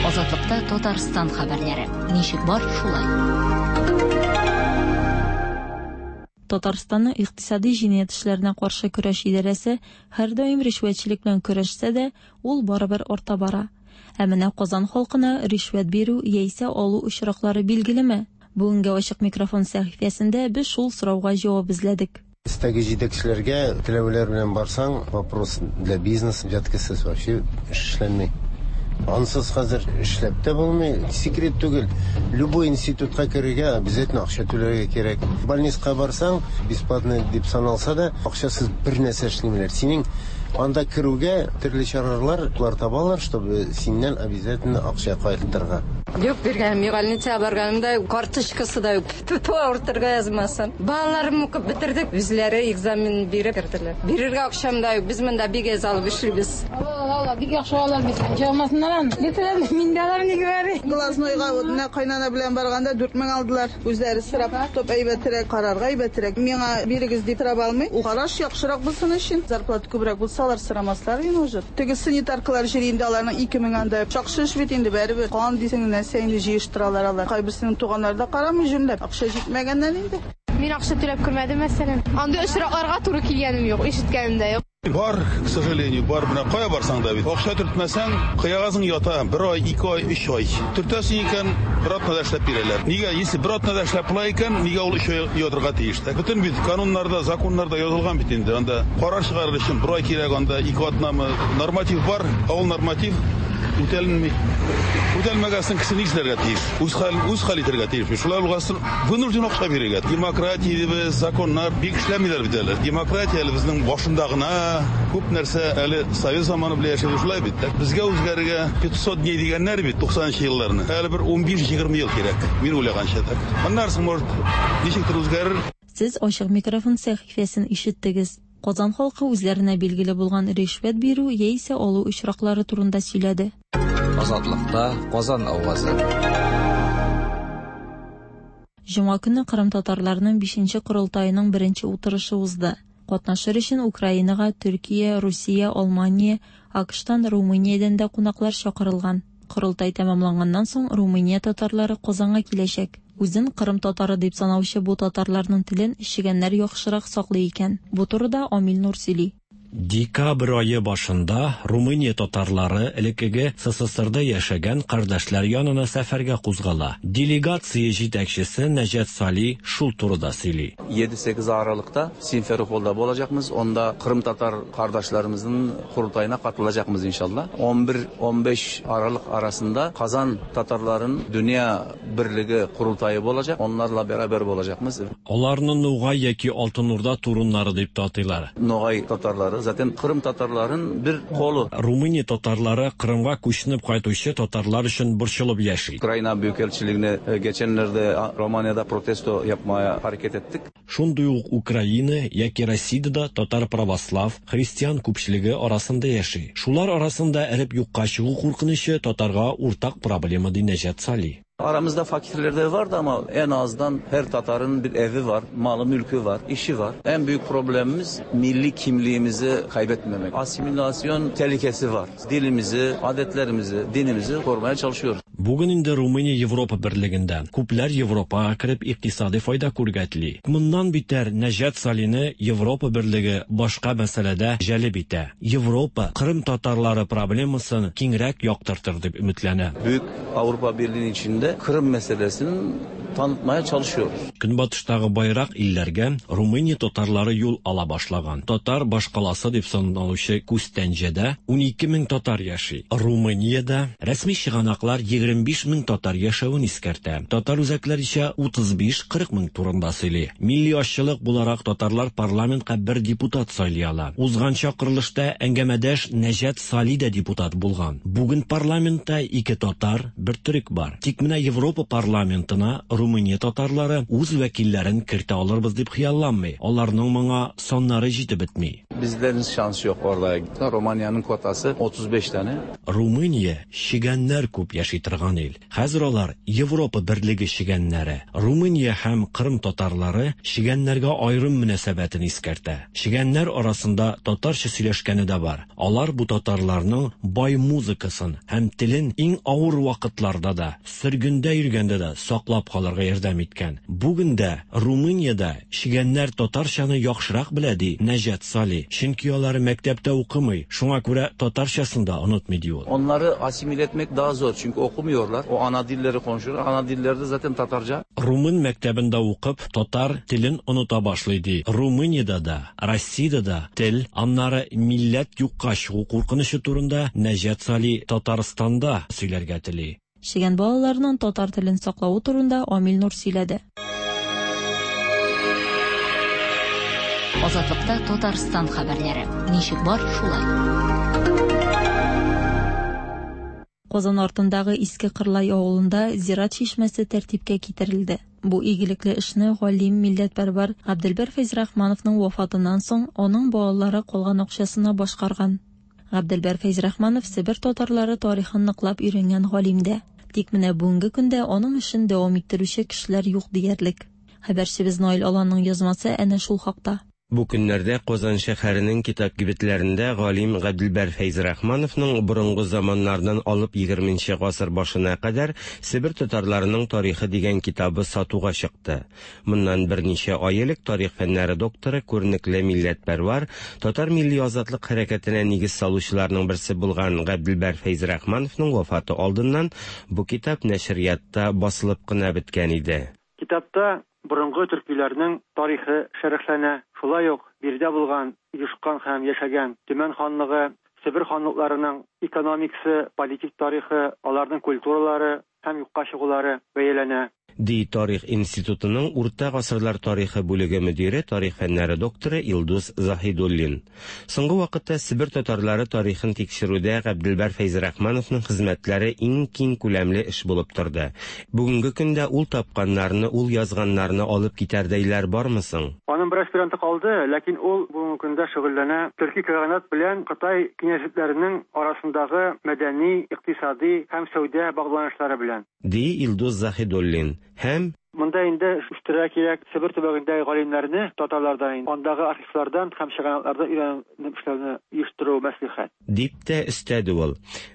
Азатлыкта Татарстан хәбәрләре. Ничек бар, шулай. Татарстанның икътисади җинаять эшләренә каршы көрәш идарәсе һәрдаим ришвәтчелек белән көрәшсә дә, ул барыбер арта бара. Ә менә Казан халкына ришвәт бирү яисә алу очраклары билгелеме? Бүгенге ачык микрофон сәхифәсендә без шул сорауга җавап эзләдек. Өстәге җитәкчеләргә теләүләр белән барсаң, вопрос для бизнеса взяткасыз вообще эшләнми. Ансыз хәзер эшләп тә булмый. Секрет түгел. Любой институтка керергә обязательно акча түләргә кирәк. Больницага барсаң, бесплатно дип саналса да, акчасыз бер нәрсә эшләмиләр. Синең анда керүгә төрле чаралар алар табалар, чтобы синнән обязательно акча кайтырга. Юк биргәнем юк, больницага барганымда карточкасы да юк. Тоту авыртырга язмасын. Балаларым укып бетердек, үзләре экзамен биреп керделәр. Бирергә акчам да юк, без монда бик әз алып эшлибез. Ала, бик яхшы алар бит. Җалмасыннар аны. Бетерәм, мин дә алам ни говори. Глазнойга вот менә кайнана белән барганда 4000 алдылар. Үзләре сорап, топ әйбәтрәк, карарга әйбәтрәк. Миңа бирегез дип сорап алмый. Ул караш яхшырак булсын өчен, зарплата күбрәк булса алар сорамаслар инде уже. Теге санитаркалар җыри инде аларның 2000 анда. Яхшы эш бит инде барыбер. Кан дисең нәрсә инде җыештыралар алар. Кайберсенең туганнары да карамый җүнләп. Акча җитмәгәннән инде. Мин акча түләп күрмәдем, мәсәлән. Андый очракларга туры килгәнем юк, ишеткәнем дә юк. Бар, к сожалению, бар. Менә кая барсаң да бит. Акча төртмәсәң, кыягазың ята. 1 ай, 2 ай, 3 ай. Төртәсең икән, бер атнада эшләп бирәләр. Нигә, если бер атнада эшләп була икән, нигә ул 3 ай ятырга тиеш? Бөтен бит кануннарда, законнарда язылган бит инде. Анда карар чыгарыр өчен 1 ай кирәк, анда 2 атнамы. Норматив бар, ә ул норматив Үтәлми. Үтәлмәгән кеше нишләргә тиеш? Үз хәлен үз хәл итәргә тиеш. Шулай булгач, вынужден акча бирергә. Демократия дибез, законнар бик эшләмиләр бит әле. Демократия әле безнең башында гына, күп нәрсә әле совет заманы белән яшәде шулай бит. Безгә үзгәрергә 500 дней дигәннәр бит 90 елларны. Әле бер 15-20 ел кирәк. Мин уйлаганча так. Аннан соң, может, ничектер үзгәрер. Сез ачык микрофон сәхифәсен ишеттегез. Казан халкы үзләренә билгеле булган ришвәт бирү яисә алу очраклары турында сөйләде. Азатлыкта Казан авазы. Җомга көнне Кырым татарларының 5 корылтаеның беренче утырышы узды. Катнашыр өчен Украинага Төркия, Русия, Алмания, АКШтан, Румыниядән дә кунаклар чакырылган. Корылтай тәмамланганнан соң Румыния татарлары Казанга киләчәк. Үзен Кырым татары дип санаучы бу татарларның телен чегәннәр яхшырак саклый икән. Бу турыда Амил Нур сөйли. Декабрь ае башында Румыния татарлары элеккеге СССРда яшәгән кардәшләр янына сәфәргә кузгала. Делегация җитәкчесе Нәҗәт Сали шул турыда сөйли. 7-8 Aralık'ta Simferopol'da olacakmız. Onda Kırım Tatar kardeşlerimizin kurultayına katılacakmız inşallah. 11-15 Aralık arasında Kazan Tatarların Dünya Birliği kurultayı olacak. Onlarla beraber olacakmız. Аларны Ногай яки Алтын Урда туруннары дип тә атыйлар. Nogay Tatarları zaten Kırım Tatarların bir kolu. Румыния татарлары Кырымга күченеп кайтучы татарлар өчен борчылып яши. Ukrayna Büyükelçiliğine geçenlerde Romanya'da protesto yapmaya hareket ettik. Шундый ук Украина яки Россиядә дә татар православ, христиан күпчелеге арасында яши. Шулар арасында эреп юкка чыгу куркынычы татарга уртак проблема ди Нәҗәт Сали. Aramızda fakirler de vardı ama en azından her Tatar'ın bir evi var, malı mülkü var, işi var. En büyük problemimiz milli kimliğimizi kaybetmemek. Asimilasyon tehlikesi var. Dilimizi, adetlerimizi, dinimizi korumaya çalışıyoruz. Бүген инде Румыния Европа берлегендә. Күпләр Европага кереп икътисади файда күрергә тели. Моннан битәр Нәҗәт Салины Европа берлеге башка мәсьәләдә җәлеп итә. Европа Кырым татарлары проблемасын киңрәк яктыртыр дип өметләнә. Büyük Avrupa Birliği'nin içinde Kırım meselesini tanıtmaya çalışıyoruz. Көнбатыштагы байрак илләргә Румыния татарлары юл ала башлаган. Татар башкаласы дип саналучы Күстәнҗәдә 12 мең татар яши. Румыниядә рәсми чыганаклар 25 мең татар яшәвен искәртә. Татар үзәкләр исә 35-40 мең турында сөйли. Милли азчылык буларак татарлар парламентка бер депутат сайлый ала. Узган чакырылышта әңгәмәдәш Нәҗәт Сали дә депутат булган. Бүген парламентта ике татар, бер төрек бар. Тик менә Европа парламентына Румыния татарлары үз вәкилләрен кертә алырбыз дип хыялланмый. Аларның моңа саннары җитеп бетми. Bizlerin şansı yok orada. Romanya'nın kotası 35 tane. Румыния чегәннәр күп яши торган ил. Хәзер алар Европа берлеге чегәннәре. Румыния һәм Кырым татарлары чегәннәргә аерым мөнәсәбәтен искәртә. Чегәннәр арасында татарча сөйләшкәне дә бар. Алар бу татарларның бай музыкасын һәм телен иң авыр вакытларда да, сөргендә йөргәндә дә саклап калырга ярдәм иткән. Бүген дә Румыниядә чегәннәр татарчаны яхшырак белә ди Нәҗәт Сали. Чөнки алар мәктәптә укымый, шуңа күрә татарчасын да онытмый ди ул. Onları asimile etmek daha zor çünkü okumuyorlar. O ana dilleri konuşuyor. Ana dilleri de zaten Tatarca. Румын мәктәбендә укып, татар телен оныта башлый ди. Румыниядә дә, Россиядә дә тел, аннары милләт юкка чыгу куркынычы турында Нәҗәт Сали Татарстанда сөйләргә тели. Чегән балаларының татар телен саклавы турында Амил Нур сөйләде. Азатлыкта Татарстан хәбәрләре. Ничек бар, шулай. Казан артындагы Иске Кырлай авылында зират чишмәсе тәртипкә китерелде. Бу игелекле эшне галим милләтпәрвәр Габделбәр Фәйзрахмановның вафатыннан соң аның балалары калган акчасына башкарган. Габделбәр Фәйзрахманов Себер татарлары тарихын ныклап өйрәнгән галим дә. Тик менә бүгенге көндә аның эшен дәвам иттерүче кешеләр юк диярлек. Хәбәрчебез Наил Аланның язмасы әнә шул хакта. Бу көннәрдә Казан шәһәренең китап кибетләрендә галим Габделбәр Фәйзрахмановның борынгы заманнардан алып 20 гасыр башына кадәр Себер татарларының тарихы дигән китабы сатуга чыкты. Моннан берничә ай элек тарих фәннәре докторы, күренекле милләтпәрвар, татар милли азатлык хәрәкәтенә нигез салучыларның берсе булган Габделбәр Фәйзрахмановның вафаты алдыннан бу китап нәшриятта басылып кына беткән иде. Китапта борынгы төркиләрнең тарихы шәрехләнә. Шулай ук биредә булган, оешкан һәм яшәгән Төмән ханлыгы, Себер ханлыкларының экономикасы, политик тарихы, аларның культуралары һәм юкка чыгулары бәяләнә. Ди Тарих институтының Урта гасырлар тарихы бүлеге мөдире, тарих фәннәре докторы Илдус Заһидуллин. Соңгы вакытта Себер татарлары тарихын тикшерүдә Габделбәр Фәйзрахмановның хезмәтләре иң киң күләмле эш булып торды. Бүгенге көндә ул тапканнарны, ул язганнарны алып китәрдәйләр бармы соң? Аның бер аспиранты калды, ләкин ул бүгенге көндә шөгыльләнә Төрки каганат белән Кытай кенәзлекләренең арасындагы мәдәни, икътисади һәм сәүдә багланышлары белән. Ди Илдус Заһидуллин. Һәм. Монда инде үстерергә кирәк Себер төбәгендәге галимнәрне, татарлардан инде, андагы архивлардан һәм чыганаклардан өйрәнеп эшләүне оештыру мәслихәт. Дип тә өстәде ул.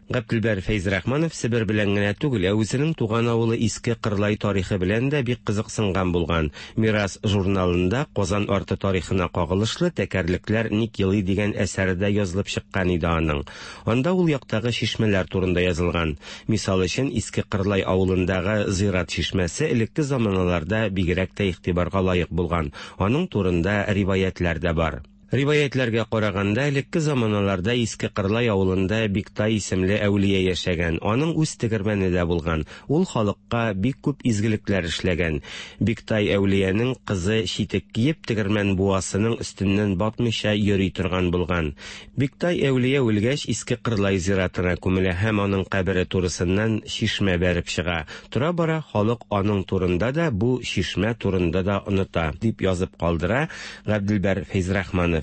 Габделбәр Фәйзрахманов Себер белән генә түгел, ә үзенең туган авылы Иске Кырлай тарихы белән дә бик кызыксынган булган. Мирас журналында Казан арты тарихына кагылышлы Тәкәрлекләр ник елый дигән әсәре дә язылып чыккан иде аның. Анда ул яктагы чишмәләр турында язылган. Мисал өчен, Иске Кырлай авылындагы зират чишмәсе элекке заманаларда бигрәк тә игътибарга лаек булган. Аның турында риваятьләр дә бар. Риваятьләргә караганда, элекке заманаларда Иске Кырлай авылында Биктай исемле әүлия яшәгән. Аның үз тегермәне дә булган. Ул халыкка бик күп изгелекләр эшләгән. Биктай әүлиянең кызы читек киеп, тегермән буасының өстеннән батмыйча йөри торган булган. Биктай әүлия үлгәч, Иске Кырлай зиратына күмелә һәм аның кабере турысыннан чишмә бәреп чыга. Тора-бара халык аның турында да, бу чишмә турында да оныта, дип язып калдыра Габделбәр Фәйзрахманов.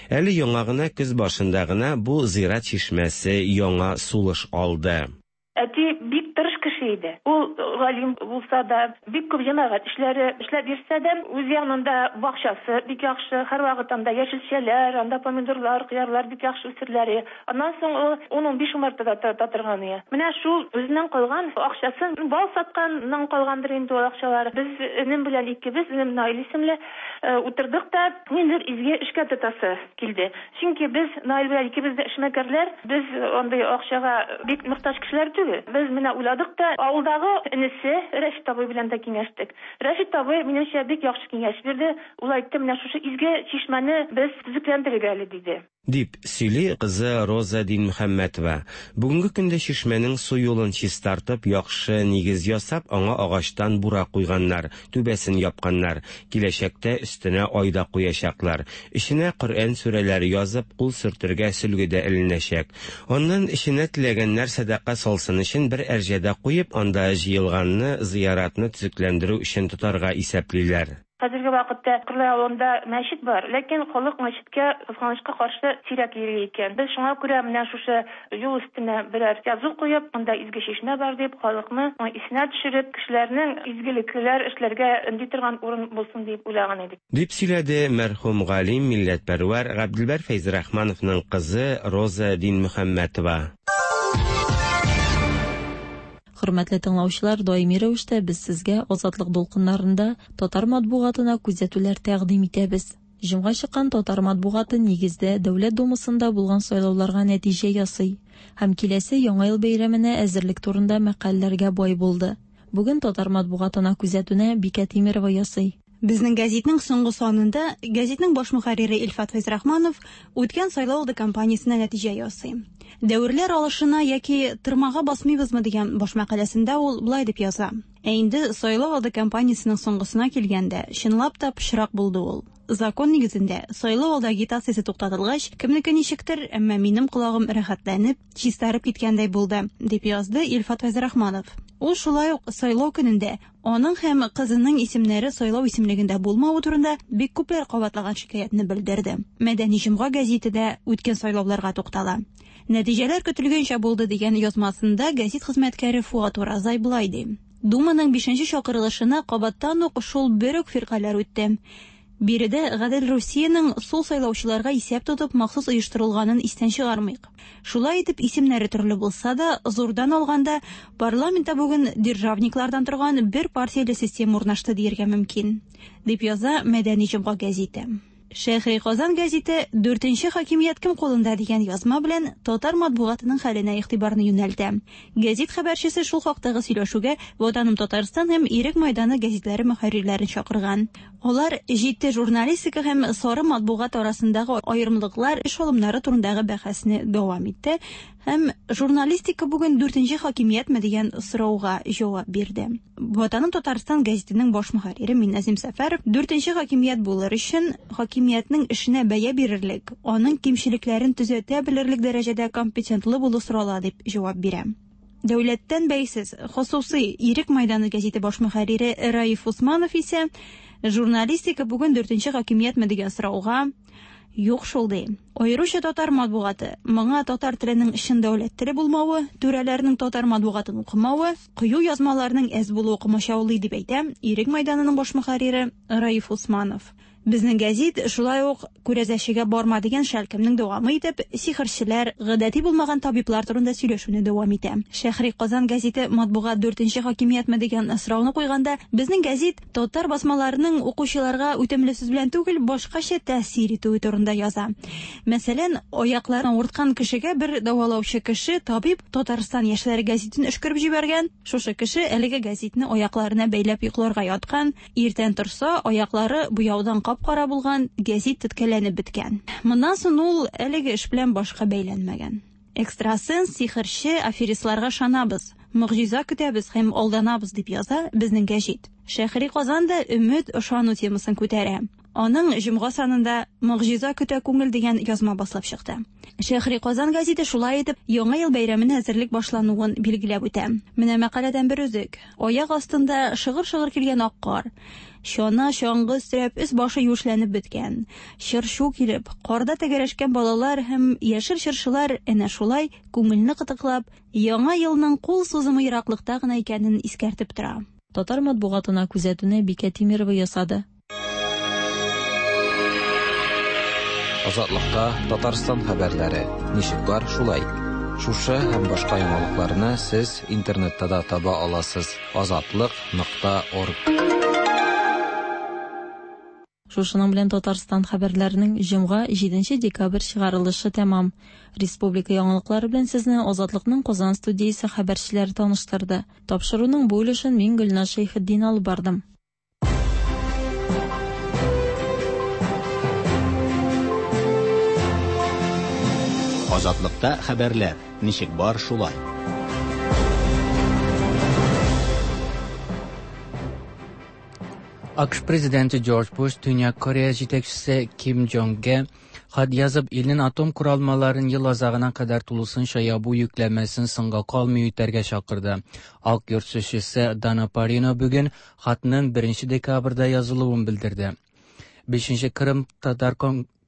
Әле яңа гына, көз башында гына бу зират чишмәсе яңа сулыш алды. Әти бик тырыш кеше иде. Ул галим булса да, бик күп җәмәгать эшләре эшләп йөрсә дә, үз янында бакчасы бик яхшы, һәрвакыт анда яшелчәләр, анда помидорлар, кыярлар бик яхшы үсерләр иде. Аннан соң ул ун-унбиш умарта да тота торган иде. Менә шул үзеннән калган акчасын, бал сатканнан калгандыр инде ул акчалар, без энем белән икебез, энем Наил исемле, утырдык та, ниндидер изге эшкә тотасы килде. Чөнки без Наил белән икебез дә эшмәкәрләр, без андый акчага бик мохтаҗ кешеләр түгел. Без менә уйладык та, авылдагы энесе Рәшит абый белән дә киңәштек. Рәшит абый, минемчә, бик яхшы киңәш бирде. Ул әйтте, менә шушы изге чишмәне без төзекләндерик әле, диде. Дип сөйли кызы Роза Динмөхәммәтова. Бүгенге көндә чишмәнең су юлын чистартып, яхшы нигез ясап, аңа агачтан бура куйганнар, түбәсен япканнар. Киләчәктә өстенә ай да куячаклар. Эченә Коръән сүрәләре язып, кул сөртергә сөлге дә эленәчәк. Аннан эченә теләгәннәр сәдака салсын өчен бер әрҗә дә куеп, анда җыелганны зыяратны төзекләндерү өчен тотарга исәплиләр. Хәзерге вакытта Кырлай авылында мәчет бар, ләкин халык мәчеткә, кызганычка каршы, сирәк йөри икән. Без шуңа күрә менә шушы юл өстенә берәр язу куеп, монда изге чишмә бар дип, халыкны исенә төшереп, кешеләрнең изгелекләр эшләргә өнди торган урын булсын дип уйлаган идек. Дип сөйләде мәрхүм галим, милләтпәрвәр Габделбәр Фәйзрахмановның кызы Роза Динмөхәммәтова. Хөрмәтле тыңлаучылар, даими рәвештә без сезгә Азатлык дулкыннарында татар матбугатына күзәтүләр тәкъдим итәбез. Җомга чыккан татар матбугаты нигездә Дәүләт Думасында булган сайлауларга нәтиҗә ясый һәм киләсе Яңа ел бәйрәменә әзерлек турында мәкаләләргә бай булды. Бүген татар матбугатына күзәтүне Бикә Тимерова ясый. Безнең гәзитнең соңгы санында гәзитнең баш мөхәррире Илфат Фәйзрахманов үткән сайлау алды кампаниясенә нәтиҗә ясый. Дәверләр алышына яки тырмага басмыйбызмы дигән баш мәкаләсендә ул болай дип яза. Ә инде сайлау алды кампаниясенең соңгысына килгәндә, чынлап та пычрак булды ул. Закон нигезендә, сайлау алды агитациясе туктатылгач, кемнеке ничектер, әмма минем колагым рәхәтләнеп, чистарып киткәндәй булды, дип язды Илфат Фәйзрахманов. Ул шулай ук сайлау көнендә аның һәм кызының исемнәре сайлау исемлегендә булмавы турында бик күпләр кабатлаган шикаятьне белдерде. Мәдәни җомга гәзите дә үткән сайлауларга туктала. Нәтиҗәләр көтелгәнчә булды дигән язмасында гәзит хезмәткәре Фуат Уразай болай ди. Думаның бишенче чакырылышына кабаттан ук шул бер үк фиркаләр үтте. Биредә Гадел Русиянең сул сайлаучыларга исәп тотып махсус оештырылганын истән чыгармыйк. Шулай итеп, исемнәре төрле булса да, зурдан алганда, парламентта бүген державниклардан торган бер партияле система урнашты дияргә мөмкин, дип яза Мәдәни җомга гәзите. Шәһри Казан гәзите Дүртенче хакимият кем кулында дигән язма белән татар матбугатының хәленә игътибарны юнәлтә. Гәзит хәбәрчесе шул хактагы сөйләшүгә Ватаным Татарстан һәм Ирек майданы гәзитләре мөхәррирләрен чакырган. Алар җитди журналистика һәм сары матбугат арасындагы аерымлыклар, эш алымнары турындагы бәхәсне дәвам итте һәм журналистика бүген дүртенче хакимиятме дигән сорауга җавап бирде. Ватаным Татарстан гәзитенең баш мөхәррире Минназим Сәфәров дүртенче хакимият булыр өчен хакимиятнең эшенә бәя бирерлек, аның кимчелекләрен төзәтә белерлек дәрәҗәдә компетентлы булу сорала дип җавап бирә. Дәүләттән бәйсез, хосусый Ирек майданы гәзите баш мөхәррире Раиф Усманов исә журналистика бүген дүртенче хакимиятме дигән сорауга юк шул ди. Аеруча татар матбугаты, моңа татар теленең чын дәүләт теле булмавы, түрәләрнең татар матбугатын укымавы, кыю язмаларның әз булуы комачаулый дип әйтә Ирек майданының баш мөхәррире Раиф Усманов. Безнең гәзит шулай ук күрәзәчегә барма дигән шәлкемнең дәвамы итеп, сихерчеләр, гадәти булмаган табиблар турында сөйләшүне дәвам итә. Шәһри Казан гәзите матбугат дүртенче хакимиятме дигән сорауны куйганда, безнең гәзит татар басмаларының укучыларга үтемле сүз белән түгел, башкача тәэсир итүе турында яза. Мәсәлән, аякларын авырткан кешегә бер дәвалаучы кеше, табиб Татарстан яшьләре гәзитен өшкереп җибәргән. Шушы кеше әлеге гәзитне аякларына бәйләп йокларга яткан. Иртән торса, аяклары буяудан кап-кара булган, гәзит теткәләнеп беткән. Моннан соң ул әлеге эш белән башка бәйләнмәгән. Экстрасенс, сихерче, аферистларга ышанабыз, могҗиза көтәбез һәм алданабыз дип яза безнең гәҗит. Шәһри Казан да өмет, ышану темасын күтәрә. Аның җомга санында Могҗиза көтә күңел дигән язма басылып чыкты. Шәһри Казан гәзите шулай итеп Яңа ел бәйрәменә әзерлек башлануын билгеләп үтә. Менә мәкаләдән бер өзек. Аяк астында шыгыр-шыгыр килгән ак кар. Чана, чаңгы өстерәп, өс башы юешләнеп беткән. Чыр-чу килеп, карда тәгәрәшкән балалар һәм яшел чыршылар әнә шулай күңелне кытыклап, Яңа елның кул сузымы ераклыкта гына икәнен искәртеп тора. Татар матбугатына күзәтүне Бикә Тимерова ясады. Азатлыкта Татарстан хәбәрләре. Ничек бар, шулай. Шушы һәм башка яңалыкларны сез интернетта да таба аласыз. Азатлык.орг. Шушының белән Татарстан хәбәрләренең җомга 7 декабрь чыгарылышы тәмам. Республика яңалыклары белән сезне Азатлыкның Казан студиясе хәбәрчеләре таныштырды. Тапшыруның бу өлешен мин Гөлназ Шәйхетдин алып бардым. Азатлыкта хәбәрләр. Ничек бар, шулай. АКШ президенты Джордж Буш Төньяк Корея җитәкчесе Ким Джонгга хат язып, илнең атом коралмаларын ел азагына кадәр тулысынча ябу йөкләмәсен соңга калмый үтәргә чакырды. Ак йорт сүзчесе Дана Парино бүген хатның 1 декабрьдә язылуын белдерде. 5 Кырым татар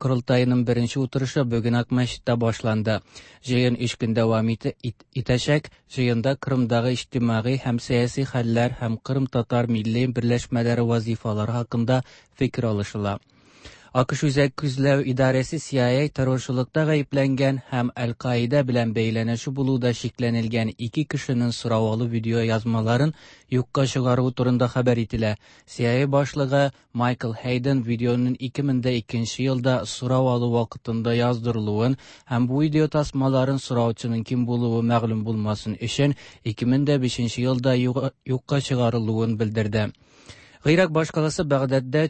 корылтаеның беренче утырышы бүген Акмәчеттә башланды. Җыен 3 көн дәвам итәчәк. Җыенда Кырымдагы иҗтимагый һәм сәяси хәлләр һәм Кырым татар милли берләшмәләре вазифалары хакында фикер алышыла. АКШ Үзәк күзләү идарәсе CIA террорчылыкта гаепләнгән һәм Әл-Каида белән бәйләнеше булуда шикләнелгән ике кешенең сорау алу видео язмаларын юкка чыгаруы турында хәбәр ителә. CIA башлыгы Майкл Хейден видеоның 2002 елда сорау алу вакытында яздырылуын һәм бу видео тасмаларын сораучының кем булуы мәгълүм булмасын өчен 2005 елда юкка чыгарылуын белдерде. Гыйрак башкаласы Багдадда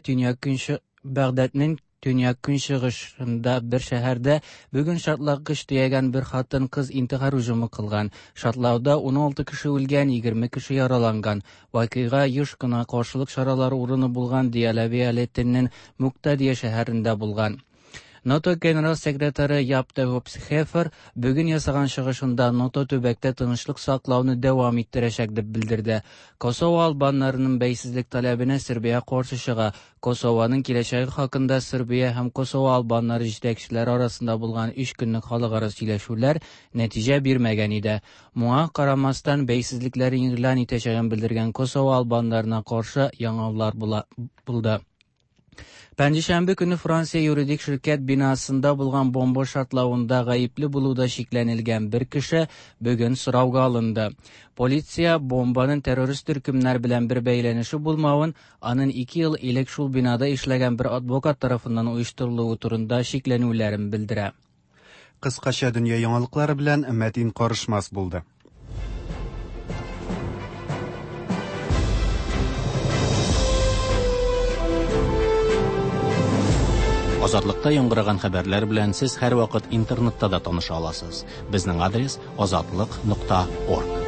Багдадның төньяк-көнчыгышында бер шәһәрдә бүген шартлаткыч төягән бер хатын-кыз интихар һөҗүме кылган. Шартлауда 16 кеше үлгән, 20 кеше яраланган. Вакыйга еш кына каршылык чаралары урыны булган Диялә вәлаятенең Муктадия шәһәрендә булган. НАТО генерал секретаре Яп де Хефер бүген ясаган чыгышында НАТО төбәктә тынычлык саклауны дәвам иттерәчәк дип белдерде. Косово албаннарының бәйсезлек таләбенә Сербия каршы чыга. Косованың киләчәге хакында Сербия һәм Косово албаннары җитәкчеләре арасында булган 3 көнлек халыкара сөйләшүләр нәтиҗә бирмәгән иде. Моңа карамастан бәйсезлекләрен игълан итәчәген белдергән Косово албаннарына каршы яңаулар булды. Пәнҗешәмбе көнне Франция юридик ширкәт бинасында булган бомба шартлавында гаепле булуда шикләнелгән бер кеше бүген сорауга алынды. Полиция бомбаның террорист төркемнәр белән бер бәйләнеше булмавын, аның 2 ел элек шул бинада эшләгән бер адвокат тарафыннан оештырылуы турында шикләнүләрен белдерә. Кыскача дөнья яңалыклары белән Мәтин Карышмас булды. Азатлыкта яңгыраган хәбәрләр белән сез һәрвакыт интернетта да таныша аласыз. Безнең адрес азатлык.орг.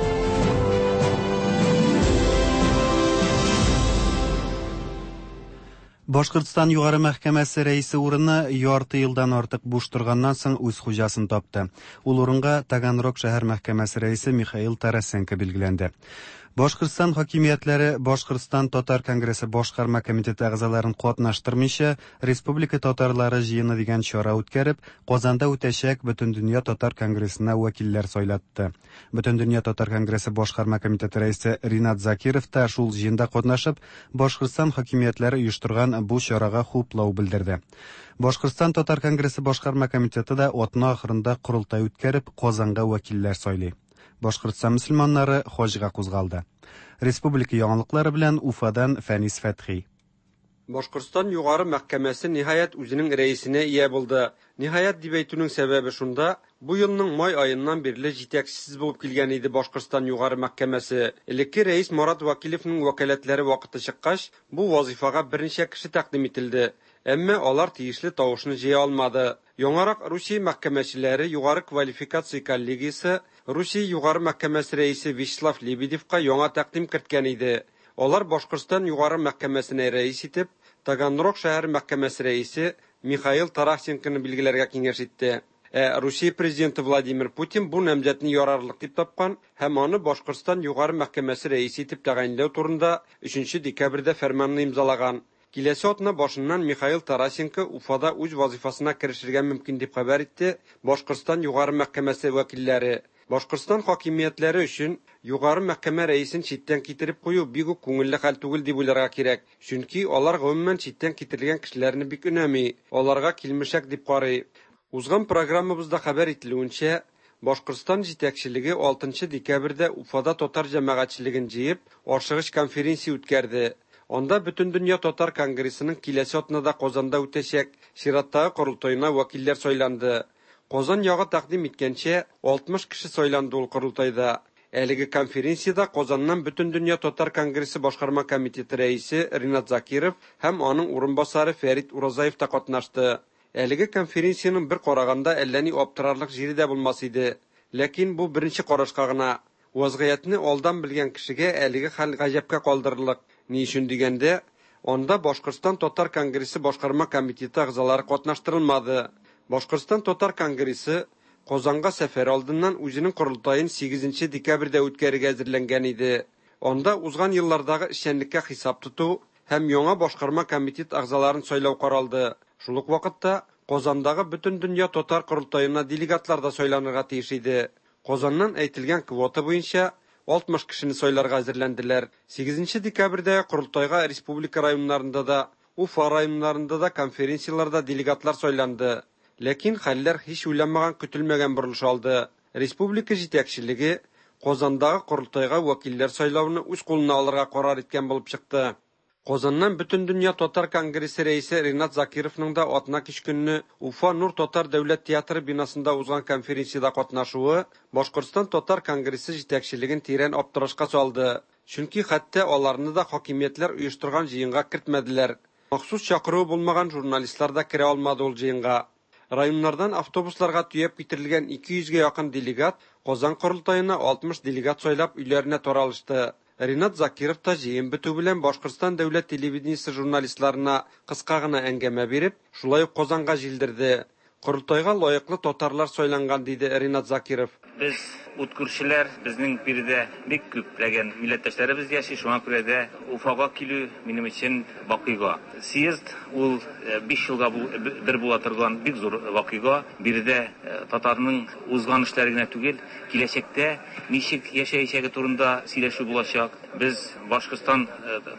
Башкортстан Югары мәхкәмәсе рәисе урыны ярты елдан артык буш торганнан соң үз хуҗасын тапты. Ул урынга Таганрог шәһәр мәхкәмәсе рәисе Михаил Тарасенко билгеләнде. Башкортстан хакимиятләре Башкортстан татар конгрессы башкарма комитеты әгъзаларын катнаштырмыйча, Республика татарлары җыены дигән чара үткәреп, Казанда үтәчәк Бөтендөнья татар конгрессына вәкилләр сайлатты. Бөтендөнья татар конгрессы башкарма комитеты рәисе Ринат Закиров та шул җыенда катнашып, Башкортстан хакимиятләре оештырган бу чарага хуплау белдерде. Башкортстан татар конгрессы башкарма комитеты да атна ахырында корылтай үткәреп, Казанга вәкилләр сайлый. Башкортстан мөселманнары хаҗга кузгалды. Республика яңалыклары белән Уфадан Фәнис Фәтхи. Башкортстан Югары мәхкәмәсе ниһаять үзенең рәисенә ия булды. Ниһаять дип әйтүнең сәбәбе шунда, бу елның май аеннан бирле җитәкчесез булып килгән иде Башкортстан Югары мәхкәмәсе. Элекке рәис Марат Вәкилевның вәкаләтләре вакыты чыккач, бу вазыйфага берничә кеше тәкъдим ителде. Әмма алар тиешле тавышны җыя алмады. Яңарак Русия мәхкәмәчеләре Югары квалификация коллегиясе Русия Югары мәхкәмәсе рәисе Вячеслав Лебедевка яңа тәкъдим керткән иде. Алар Башкортстан Югары мәхкәмәсенә рәис итеп Таганрог шәһәр мәхкәмәсе рәисе Михаил Тарасенконы билгеләргә киңәш итте. Ә Русия президенты Владимир Путин бу намзәтне ярарлык дип тапкан һәм аны Башкортстан Югары мәхкәмәсе рәисе итеп тәгаенләү турында 3 декабрьдә фәрманны имзалаган. Киләсе атна башыннан Михаил Тарасенко Уфада үз вазифасына керешергә мөмкин дип хәбәр итте Башкортстан Югары мәхкәмәсе вәкилләре. Башкортстан хакимиятләре өчен Югары мәхкәмә рәисен читтән китереп кую бик үк күңелле хәл түгел дип уйларга кирәк. Чөнки алар гомумән читтән китерелгән кешеләрне бик өнәми, аларга килмешәк дип карый. Узган программабызда хәбәр ителүенчә, Башкортстан җитәкчелеге 6 декабрьдә Уфада татар җәмәгатьчелеген җыеп, ашыгыч конференция үткәрде. Анда Бөтендөнья татар конгрессының киләсе атнада Казанда үтәчәк чираттагы корылтаена вәкилләр сайланды. Казан ягы тәкъдим иткәнчә, 60 кеше сайланды ул корылтайда. Әлеге конференциядә Казаннан Бөтендөнья татар конгрессы башкарма комитеты рәисе Ринат Закиров һәм аның урынбасары Фәрит Уразаев та катнашты. Әлеге конференциянең бер караганда әллә ни аптырарлык җире дә булмас иде. Ләкин бу беренче карашка гына. Вазгыятьне алдан белгән кешегә әлеге хәл гаҗәпкә калдырырлык. Ни өчен дигәндә, анда Башкортстан татар конгрессы башкарма комитеты әгъзалары катнаштырылмады. Башкортстан татар конгрессы Казанга сәфәр алдыннан үзенең корылтаен 8 декабрьдә үткәрергә әзерләнгән иде. Анда узган еллардагы эшчәнлеккә хисап тоту һәм яңа башкарма комитет әгъзаларын сайлау каралды. Шул ук вакытта Казандагы Бөтендөнья татар корылтаена делегатлар да сайланырга тиеш иде. Казаннан әйтелгән квота буенча 60 кешене сайларга әзерләнделәр. 8 декабрьдә корылтайга республика районнарында да, Уфа районнарында да конференцияләрдә делегатлар сайланды. Ләкин хәлләр һич уйламаган көтелмәгән борылыш алды. Республика җитәкчелеге Казандагы корылтайга вәкилләр сайлауны үз кулына алырга карар иткән булып чыкты. Казаннан Бөтендөнья татар конгрессы рәисе Ринат Закировның да атна кич көнне Уфа Нур татар дәүләт театры бинасында узган конференциядә катнашуы Башкортстан татар конгрессы җитәкчелеген тирән аптырашка салды. Чөнки хәтта аларны да хакимиятләр оештырган җыенга кертмәделәр. Махсус чакыруы булмаган журналистлар да керә алмады ул җыенга. Районнардан автобусларга төяп китерелгән 200гә якын делегат Казан корылтаена 60 делегат сайлап өйләренә таралышты. Ринат Закиров та җыен бетү белән Башкортстан дәүләт телевидениесе журналистларына кыска гына әңгәмә биреп, шулай ук Казанга җилдерде. Корылтайга лаеклы татарлар сайланган, диде Ринат Закиров. Без ут күршеләр, безнең биредә бик күпләгән милләттәшләребез яши, шуңа күрә дә Уфага килү минем өчен вакыйга. Съезд ул 5 елга бер була торган бик зур вакыйга. Биредә татарның узган эшләре генә түгел, киләчәктә ничек яшәячәге турында сөйләшү булачак. Без Башкортстан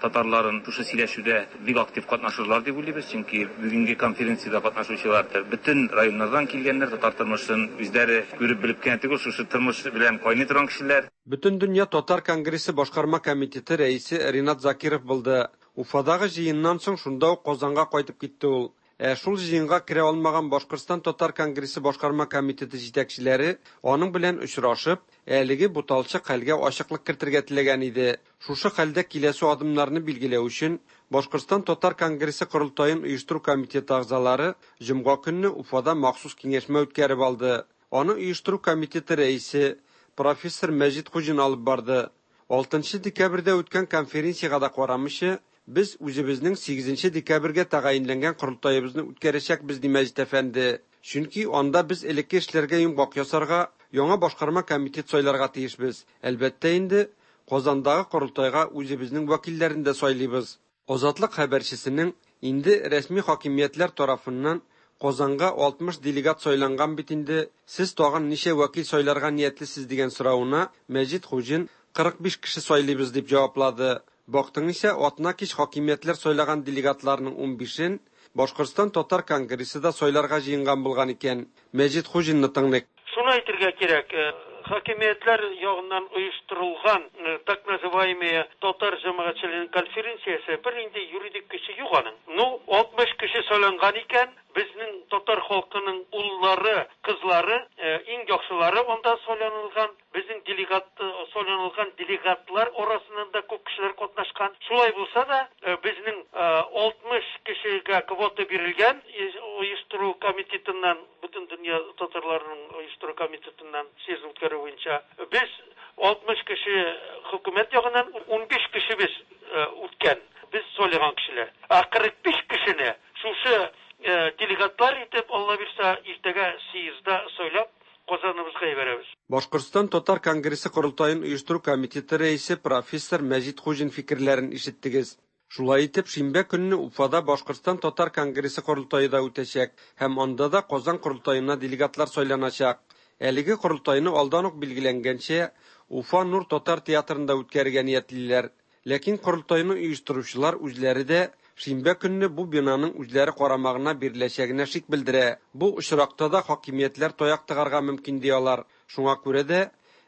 татарларын шушы сөйләшүдә бик актив катнашырлар дип уйлыйбыз, чөнки бүгенге конференциядә катнашучылар бөтен районнардан килгәннәр, татар тормышын үзләре күреп белеп кенә түгел, шушы тормыш белән кайный торган кешеләр. Бөтендөнья татар конгрессы башкарма комитеты рәисе Ринат Закиров булды. Уфадагы җыеннан соң шунда ук Казанга кайтып китте ул. Ә шул җыенга керә алмаган Башкортстан татар конгрессы башкарма комитеты җитәкчеләре аның белән очрашып, әлеге буталчык хәлгә ачыклык кертергә теләгән иде. Шушы хәлдә киләсе адымнарны билгеләү өчен Башкортстан татар конгрессы корылтаен оештыру комитеты әгъзалары җомга көнне Уфада махсус киңәшмә үткәреп алды. Аны оештыру комитеты рәисе профессор Мәҗит Хуҗин алып барды. 6 декабрьдә үткән конференциягә дә карамыйча, без үзебезнең 8 декабрьгә тәгаенләнгән корылтаебызны үткәрәчәкбез, ди Мәҗит әфәнде. Чөнки анда без элекке эшләргә йомгак ясарга, яңа башкарма комитет сайларга тиешбез. Әлбәттә инде, Казандагы корылтайга үзебезнең вәкилләрен дә сайлыйбыз. Азатлык хәбәрчесенең инде рәсми хакимиятләр тарафыннан Казанга 60 делегат сайланган бит инде, сез тагын ничә вәкил сайларга ниятлисез дигән соравына Мәҗит Хуҗин 45 кеше сайлыйбыз дип җаваплады. Бактың исә атна кич хакимиятләр сайлаган делегатларның 15-ен Башкортстан татар конгрессы да сайларга җыенган булган икән. Мәҗит Хуҗинны тыңлыйк. Шуны әйтергә кирәк, хакимиятләр ягыннан оештырылган так называемая татар җәмәгатьчелегенең конференциясе бернинди юридик көче юк аның. Ну, 60 кеше сайланган икән, безнең татар халкының уллары, кызлары, иң яхшылары анда сайланылган. Безнең делегат сайланылган делегатлар арасыннан да күп кешеләр катнашкан. Шулай булса да, безнең 60 кешегә квота бирелгән оештыру комитетыннан, бөтен дөнья татарларының оештыру комитетыннан съезд үткәрү буенча. Без 60 кеше хөкүмәт ягыннан 15 кешебез үткән. Без сайлаган кешеләр. Ә 45 кешене шушы делегатлар итеп, Алла бирсә, иртәгә съездда сайлап Казаныбызга җибәрәбез. Башкортстан татар конгрессы корылтаен оештыру комитеты рәисе профессор Мәҗит Хуҗин фикерләрен ишеттегез. Шулай итеп, шимбә көнне Уфада Башкортстан татар конгрессы корылтае да үтәчәк һәм анда да Казан корылтаена делегатлар сайланачак. Әлеге корылтайны алдан ук билгеләнгәнчә, Уфа Нур татар театрында үткәрергә ниятлиләр. Ләкин корылтайны оештыручылар үзләре дә шимбә көнне бу бинаның үзләре карамагына биреләчәгенә шик белдерә. Бу очракта да хакимиятләр таяк тыгарга мөмкин ди алар. Шуңа күрә дә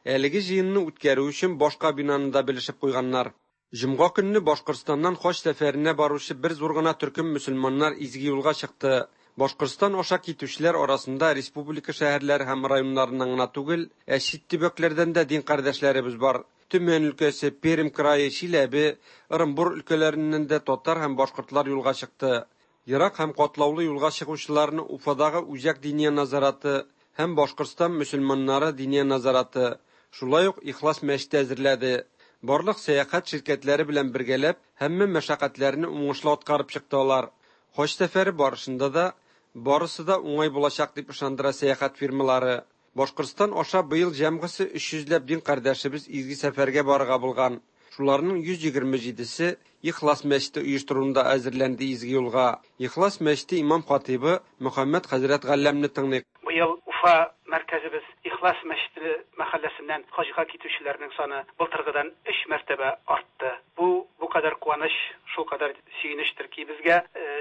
әлеге җыенны үткәрү өчен башка бинаны да белешеп куйганнар. Җомга көнне Башкортстаннан хаҗ сәфәренә баручы бер зур гына төркем мөселманнар изге юлга чыкты. Башкортстан аша китүчеләр арасында республика шәһәрләре һәм районнарыннан гына түгел, ә чит төбәкләрдән дә дин кардәшләребез бар. Төмән өлкәсе, Пермь крае, Чиләбе, Ырынбур өлкәләреннән дә татар һәм башкортлар юлга чыкты. Ерак һәм катлаулы юлга чыгучыларны Уфадагы Үзәк диния назараты һәм Башкортстан мөселманнары диния назараты, шулай ук Ихлас мәчете әзерләде. Барлык сәяхәт ширкәтләре белән бергәләп, һәммә мәшәкатьләрне уңышлы аткарып чыкты алар. Хаҗ сәфәре барышында да барысы да уңай булачак дип ышандыра сәяхәт фирмалары. Башкортстан аша быел җәмгысе 300 ләп дин кардәшебез изге сәфәргә барырга булган. Шуларның 127-се Ихлас мәчете оештыруында әзерләнде изге юлга. Ихлас мәчете имам хатибы Мөхәммәд хәзрәт Галләмне тыңлыйк. Быел Уфа мәркәзебез Ихлас мәчете мәхәлләсеннән хаҗга китүчеләрнең саны былтыргыдан 3 мәртәбә артты. Бу бу кадәр куаныч, шул кадәр сөенечтер ки безгә,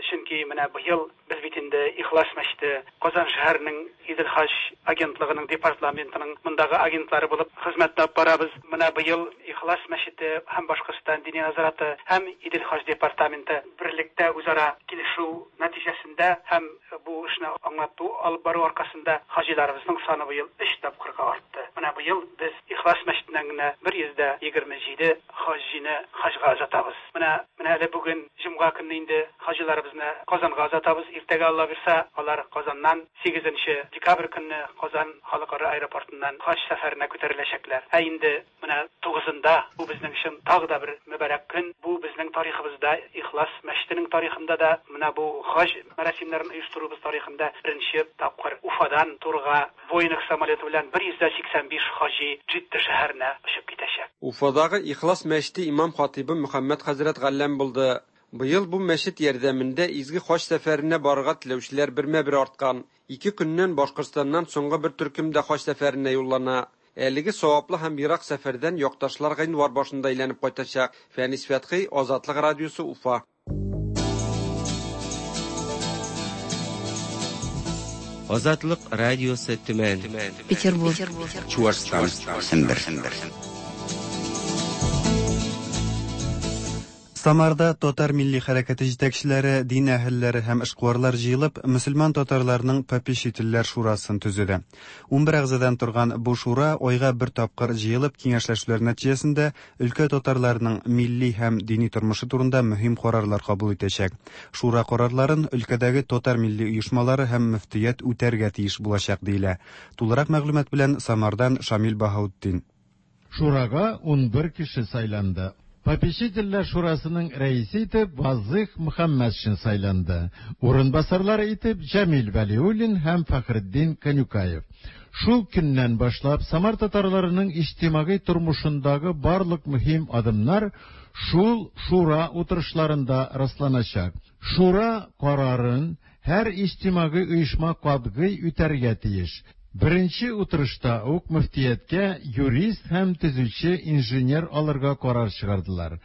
чөнки менә быел без бит инде Ихлас мәчете Казан шәһәренең Идел хаҗ агентлыгының департаментының мондагы агентлары булып хезмәт алып барабыз. Менә быел Ихлас мәчете һәм Башкортстан диния назараты һәм Идел хаҗ департаменты берлектә үзара килешү нәтиҗәсендә һәм бу эшне аңлату алып бару аркасында хаҗиларыбызның саны быел 3 тапкырга артты. Менә быел без Ихлас мәчетеннән генә 127 хаҗины хаҗга озатабыз. Менә менә әле бүген җомга көнне инде хаҗиларыбызны Казанга озатабыз. Иртәгә Алла бирса, алар Казаннан 8 нче декабрь көнне Казан халыкара аэропортыннан хаҗ сәфәренә күтәреләчәкләр. Ә инде менә тугызында, бу безнең өчен тагы да бер мөбарәк көн, бу безнең тарихыбызда, Ихлас мәчетенең тарихында да, менә бу хаҗ мәрасимнәрен оештыруыбыз тарихында беренче тапкыр Уфадан турыга Боинг самолеты белән 185 хаҗи Джидда шәһәренә очып китәчәк. Уфадагы Ихлас мәчете имам-хатыйбы Мөхәммәд хәзрәт Галләм булды. Быел бу мәчет ярдәмендә изге хаҗ сәфәренә барырга теләүчеләр бермә-бер арткан. Ике көннән Башкортстаннан соңгы бер төркем дә хаҗ сәфәренә юллана. Әлеге саваплы һәм ерак сәфәрдән якташлар гыйнвар башында әйләнеп кайтачак. Фәнис Фәтхи, Азатлык радиосы, Уфа. Азатлык радиосы Төмән. Петербург. Чуашстан. Сембер. Самарда татар милли хәрәкәте җитәкчеләре, дин әһелләре һәм эшкуарлар җыелып, мөселман татарларының попечительләр шурасын төзеде. 11 әгъзадан торган бу шура айга бер тапкыр җыелып киңәшләшүләр нәтиҗәсендә өлкә татарларының милли һәм дини тормышы турында мөһим карарлар кабул итәчәк. Шура карарларын өлкәдәге татар милли оешмалары һәм мөфтият үтәргә тиеш булачак диелә. Тулырак мәгълүмат белән Самардан Шамил Баһаутдин. Шурага 11 кеше сайланды. Попечительләр шурасының рәисе итеп Вазыйх Мөхәммәтшин сайланды. Урынбасарлары итеп Җәмил Вәлиуллин һәм Фәхретдин Канюкаев. Шул көннән башлап Самар татарларының иҗтимагый тормышындагы барлык мөһим адымнар шул шура утырышларында расланачак. Шура карарын һәр иҗтимагый оешма катгый үтәргә тиеш. Беренче утырышта ук мөфтияткә юрист һәм төзүче инженер алырга карар чыгардылар.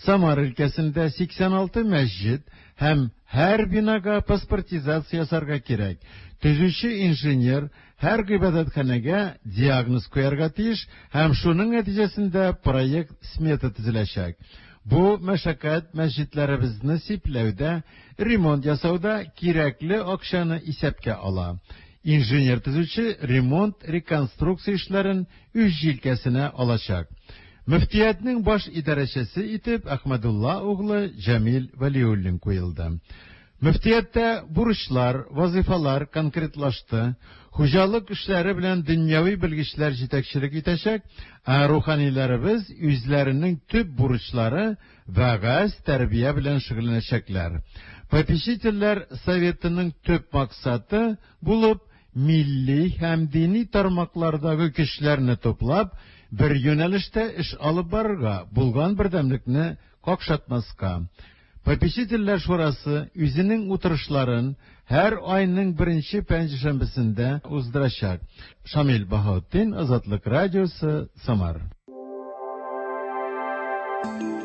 Самар өлкәсендә 86 мәсҗид һәм һәр бинага паспортизация ясарга кирәк. Төзүче инженер һәр гыйбадәтханәгә диагноз куярга тиеш һәм шуның нәтиҗәсендә проект-смета төзеләчәк. Бу мәшәкать мәсҗидләребезне сипләүдә, ремонт ясауда кирәкле акчаны исәпкә ала. Инженер-төзүче ремонт-реконструкция эшләрен үз җилкәсенә алачак. Мөфтиятнең баш идарәчесе итеп Әхмәдулла углы Җәмил Вәлиуллин куелды. Мөфтияттә бурычлар, вазыйфалар конкретлашты. Хуҗалык эшләре белән дөньяви белгечләр җитәкчелек итәчәк, ә руханиләребез үзләренең төп бурычлары, вәгазь, тәрбия белән шөгыльләнәчәкләр. Попечительләр советының төп максаты булып милли һәм дини тармаклардагы көчләрне туплап, бер юнәлештә эш алып барырга, булган бердәмлекне какшатмаска. Попечительләр шурасы үзенең утырышларын һәр айның беренче пәнҗешәмбесендә уздырачак. Шамил Баһаутдин, Азатлык радиосы, Самар.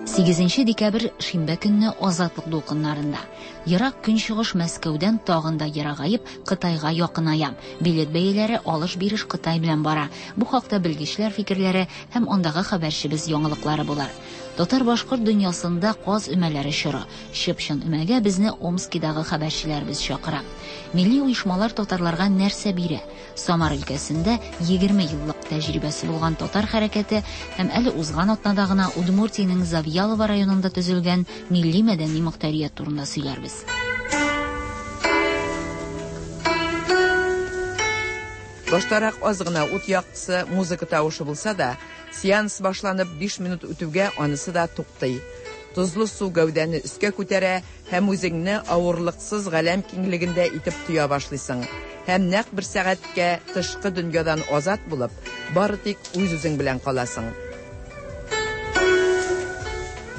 8 декабрь шимбә көнне Азатлык дулкыннарында. Ерак Көнчыгыш Мәскәүдән тагын да ерагаеп, Кытайга якыная. Билет бәяләре алыш-биреш Кытай белән бара. Бу хакта белгечләр фикерләре һәм андагы хәбәрчебез яңалыклары булыр. Татар-башкорт дөньясында каз өмәләре чоры. Чып-чын өмәгә безне Омскидагы хәбәрчеләребез чакыра. Милли оешмалар татарларга нәрсә бирә? Самар өлкәсендә 20 еллык тәҗрибәсе булган татар хәрәкәте һәм әле узган атнада гына Удмуртиянең Завьялово районында төзелгән милли-мәдәни мохтарият турында сөйләрбез. Баштарак аз гына ут яктысы, музыка тавышы булса да, сеанс башланып 5 минут үтүгә анысы да туктый. Тозлы су гәүдәне өскә күтәрә һәм үзеңне авырлыксыз галәм киңлегендә итеп тоя башлыйсың. Һәм нәкъ бер сәгатькә тышкы дөньядан азат булып, бары тик үз-үзең белән каласың.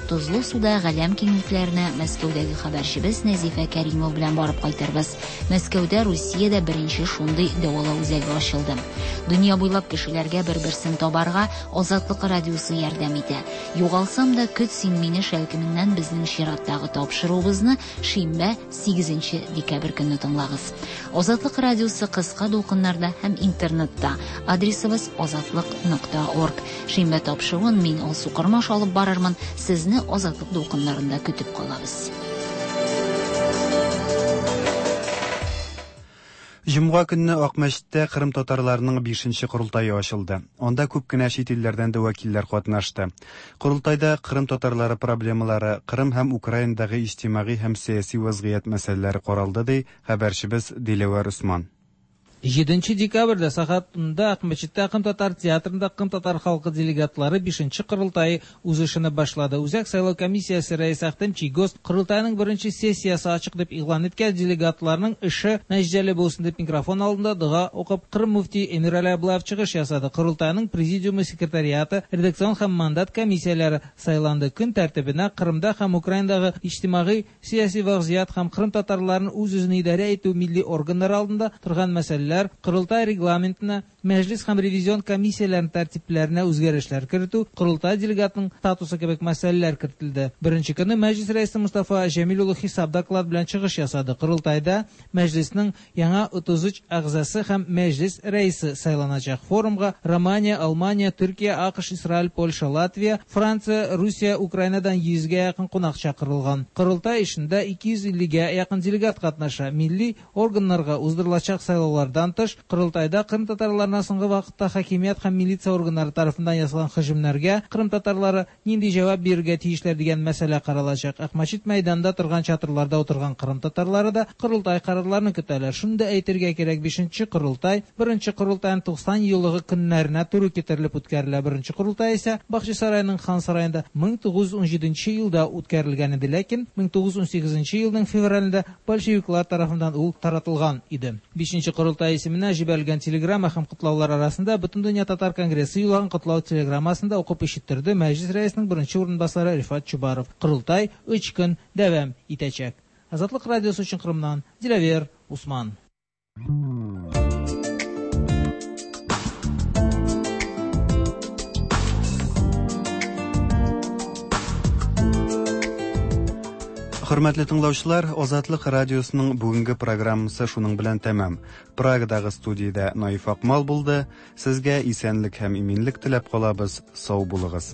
Тозлы суда галәм киңлекләренә Мәскәүдәге хәбәрчебез Нәзифә Кәримова белән барып кайтырбыз. Мәскәүдә Русиядә беренче шундый дәвалау үзәге ачылды. Дөнья буйлап кешеләргә бер-берсен табарга Азатлык радиосы ярдәм итә. Югалсам да көт син мине шәлкеменнән безнең чираттагы тапшыруыбызны шимбә 8 декабрь көнне тыңлагыз. Азатлык радиосы кыска дулкыннарда һәм интернетта. Адресыбыз азатлык.орг. Шимбә тапшыруын мин Алсу Кормаш алып барырмын. Сезне Азатлык дулкыннарында көтеп калабыз. Җомга көнне Акмәчеттә Кырым татарларының бишенче корылтае ачылды. Анда күп кенә чит илләрдән дә вәкилләр катнашты. Корылтайда Кырым татарлары проблемалары, Кырым һәм Украинадагы иҗтимагый һәм сәяси вәзгыять мәсьәләләре каралды, ди хәбәрчебез Диләвәр Усман. Җиденче декабрьдә сәгать унда Акмәчеттә Кым татар театрында Кым татар халкы делегатлары бишенче корылтае үз эшене башлады. Үзәк сайлау комиссиясе рәисе Ахтем Чийгоз корылтайның беренче сессиясе ачык дип игълан иткәч, делегатларның эше нәтиҗәле булсын дип микрофон алдында дога укып Кырым мөфтие Эмирали Аблаев чыгыш ясады. Корылтайның президиумы, секретариаты, редакцион һәм мандат комиссияләре сайланды. Көн тәртибенә Кырымда һәм Украинадагы иҗтимагый Сияси вәгъзият һәм Кырым татарларын үз-үзен идарә итү милли органнары алдында торган мәсьәләләр, Корылтай регламентына, Мәҗлес һәм ревизион комиссияләрнең тәртипләренә үзгәрешләр кертү, Корылтай делегатының статусы кебек мәсьәләләр кертелде. Беренче көнне Мәҗлес рәисе Мостафа Җәмил улы хисап доклад белән чыгыш ясады. Корылтайда Мәҗлеснең яңа 33 әгъзасы һәм Мәҗлес рәисе сайланачак. Форумга Романия, Алмания, Төркия, АКШ, Исраил, Польша, Латвия, Франция, Русия, Украинадан 100 гә якын кунак чакырылган. Корылтай эшендә 250 гә якын делегат катнаша. Милли органнарга уздырылачак сайлаулардан тыш, Корылтайда Кырым татарларына соңгы вакытта хакимият һәм милиция органнары тарафыннан ясалган һөҗүмнәргә кырым татарлары нинди җавап бирергә тиешләр дигән мәсьәлә каралачак. Акмәчет мәйданында торган чатырларда утырган кырым татарлары да корылтай карарларын көтәләр. Шуны да әйтергә кирәк, бишенче корылтай беренче корылтайның 90 еллыгы көннәренә туры китерелеп үткәрелә. Беренче корылтай исә Бахчисарайның Хан сараенда 1917 елда үткәрелгән иде, ләкин 1918 елның февралендә большевиклар тарафыннан ул таратылган иде. Бишенче корылтай исеменә җибәрелгән телеграмма һәм котлаулар арасында Бөтендөнья татар конгрессы юллаган котлау телеграммасын да укып ишеттерде Мәҗлес рәисенең беренче урынбасары Рифат Чубаров. Корылтай өч көн дәвам итәчәк. Азатлык радиосы өчен Кырымнан Диләвер Усман. Хөрмәтле тыңлаучылар, Азатлык радиосының бүгенге программасы шуның белән тәмам. Прагадагы студиядә Наиф Акмал булды. Сезгә исәнлек һәм иминлек теләп калабыз. Сау булыгыз.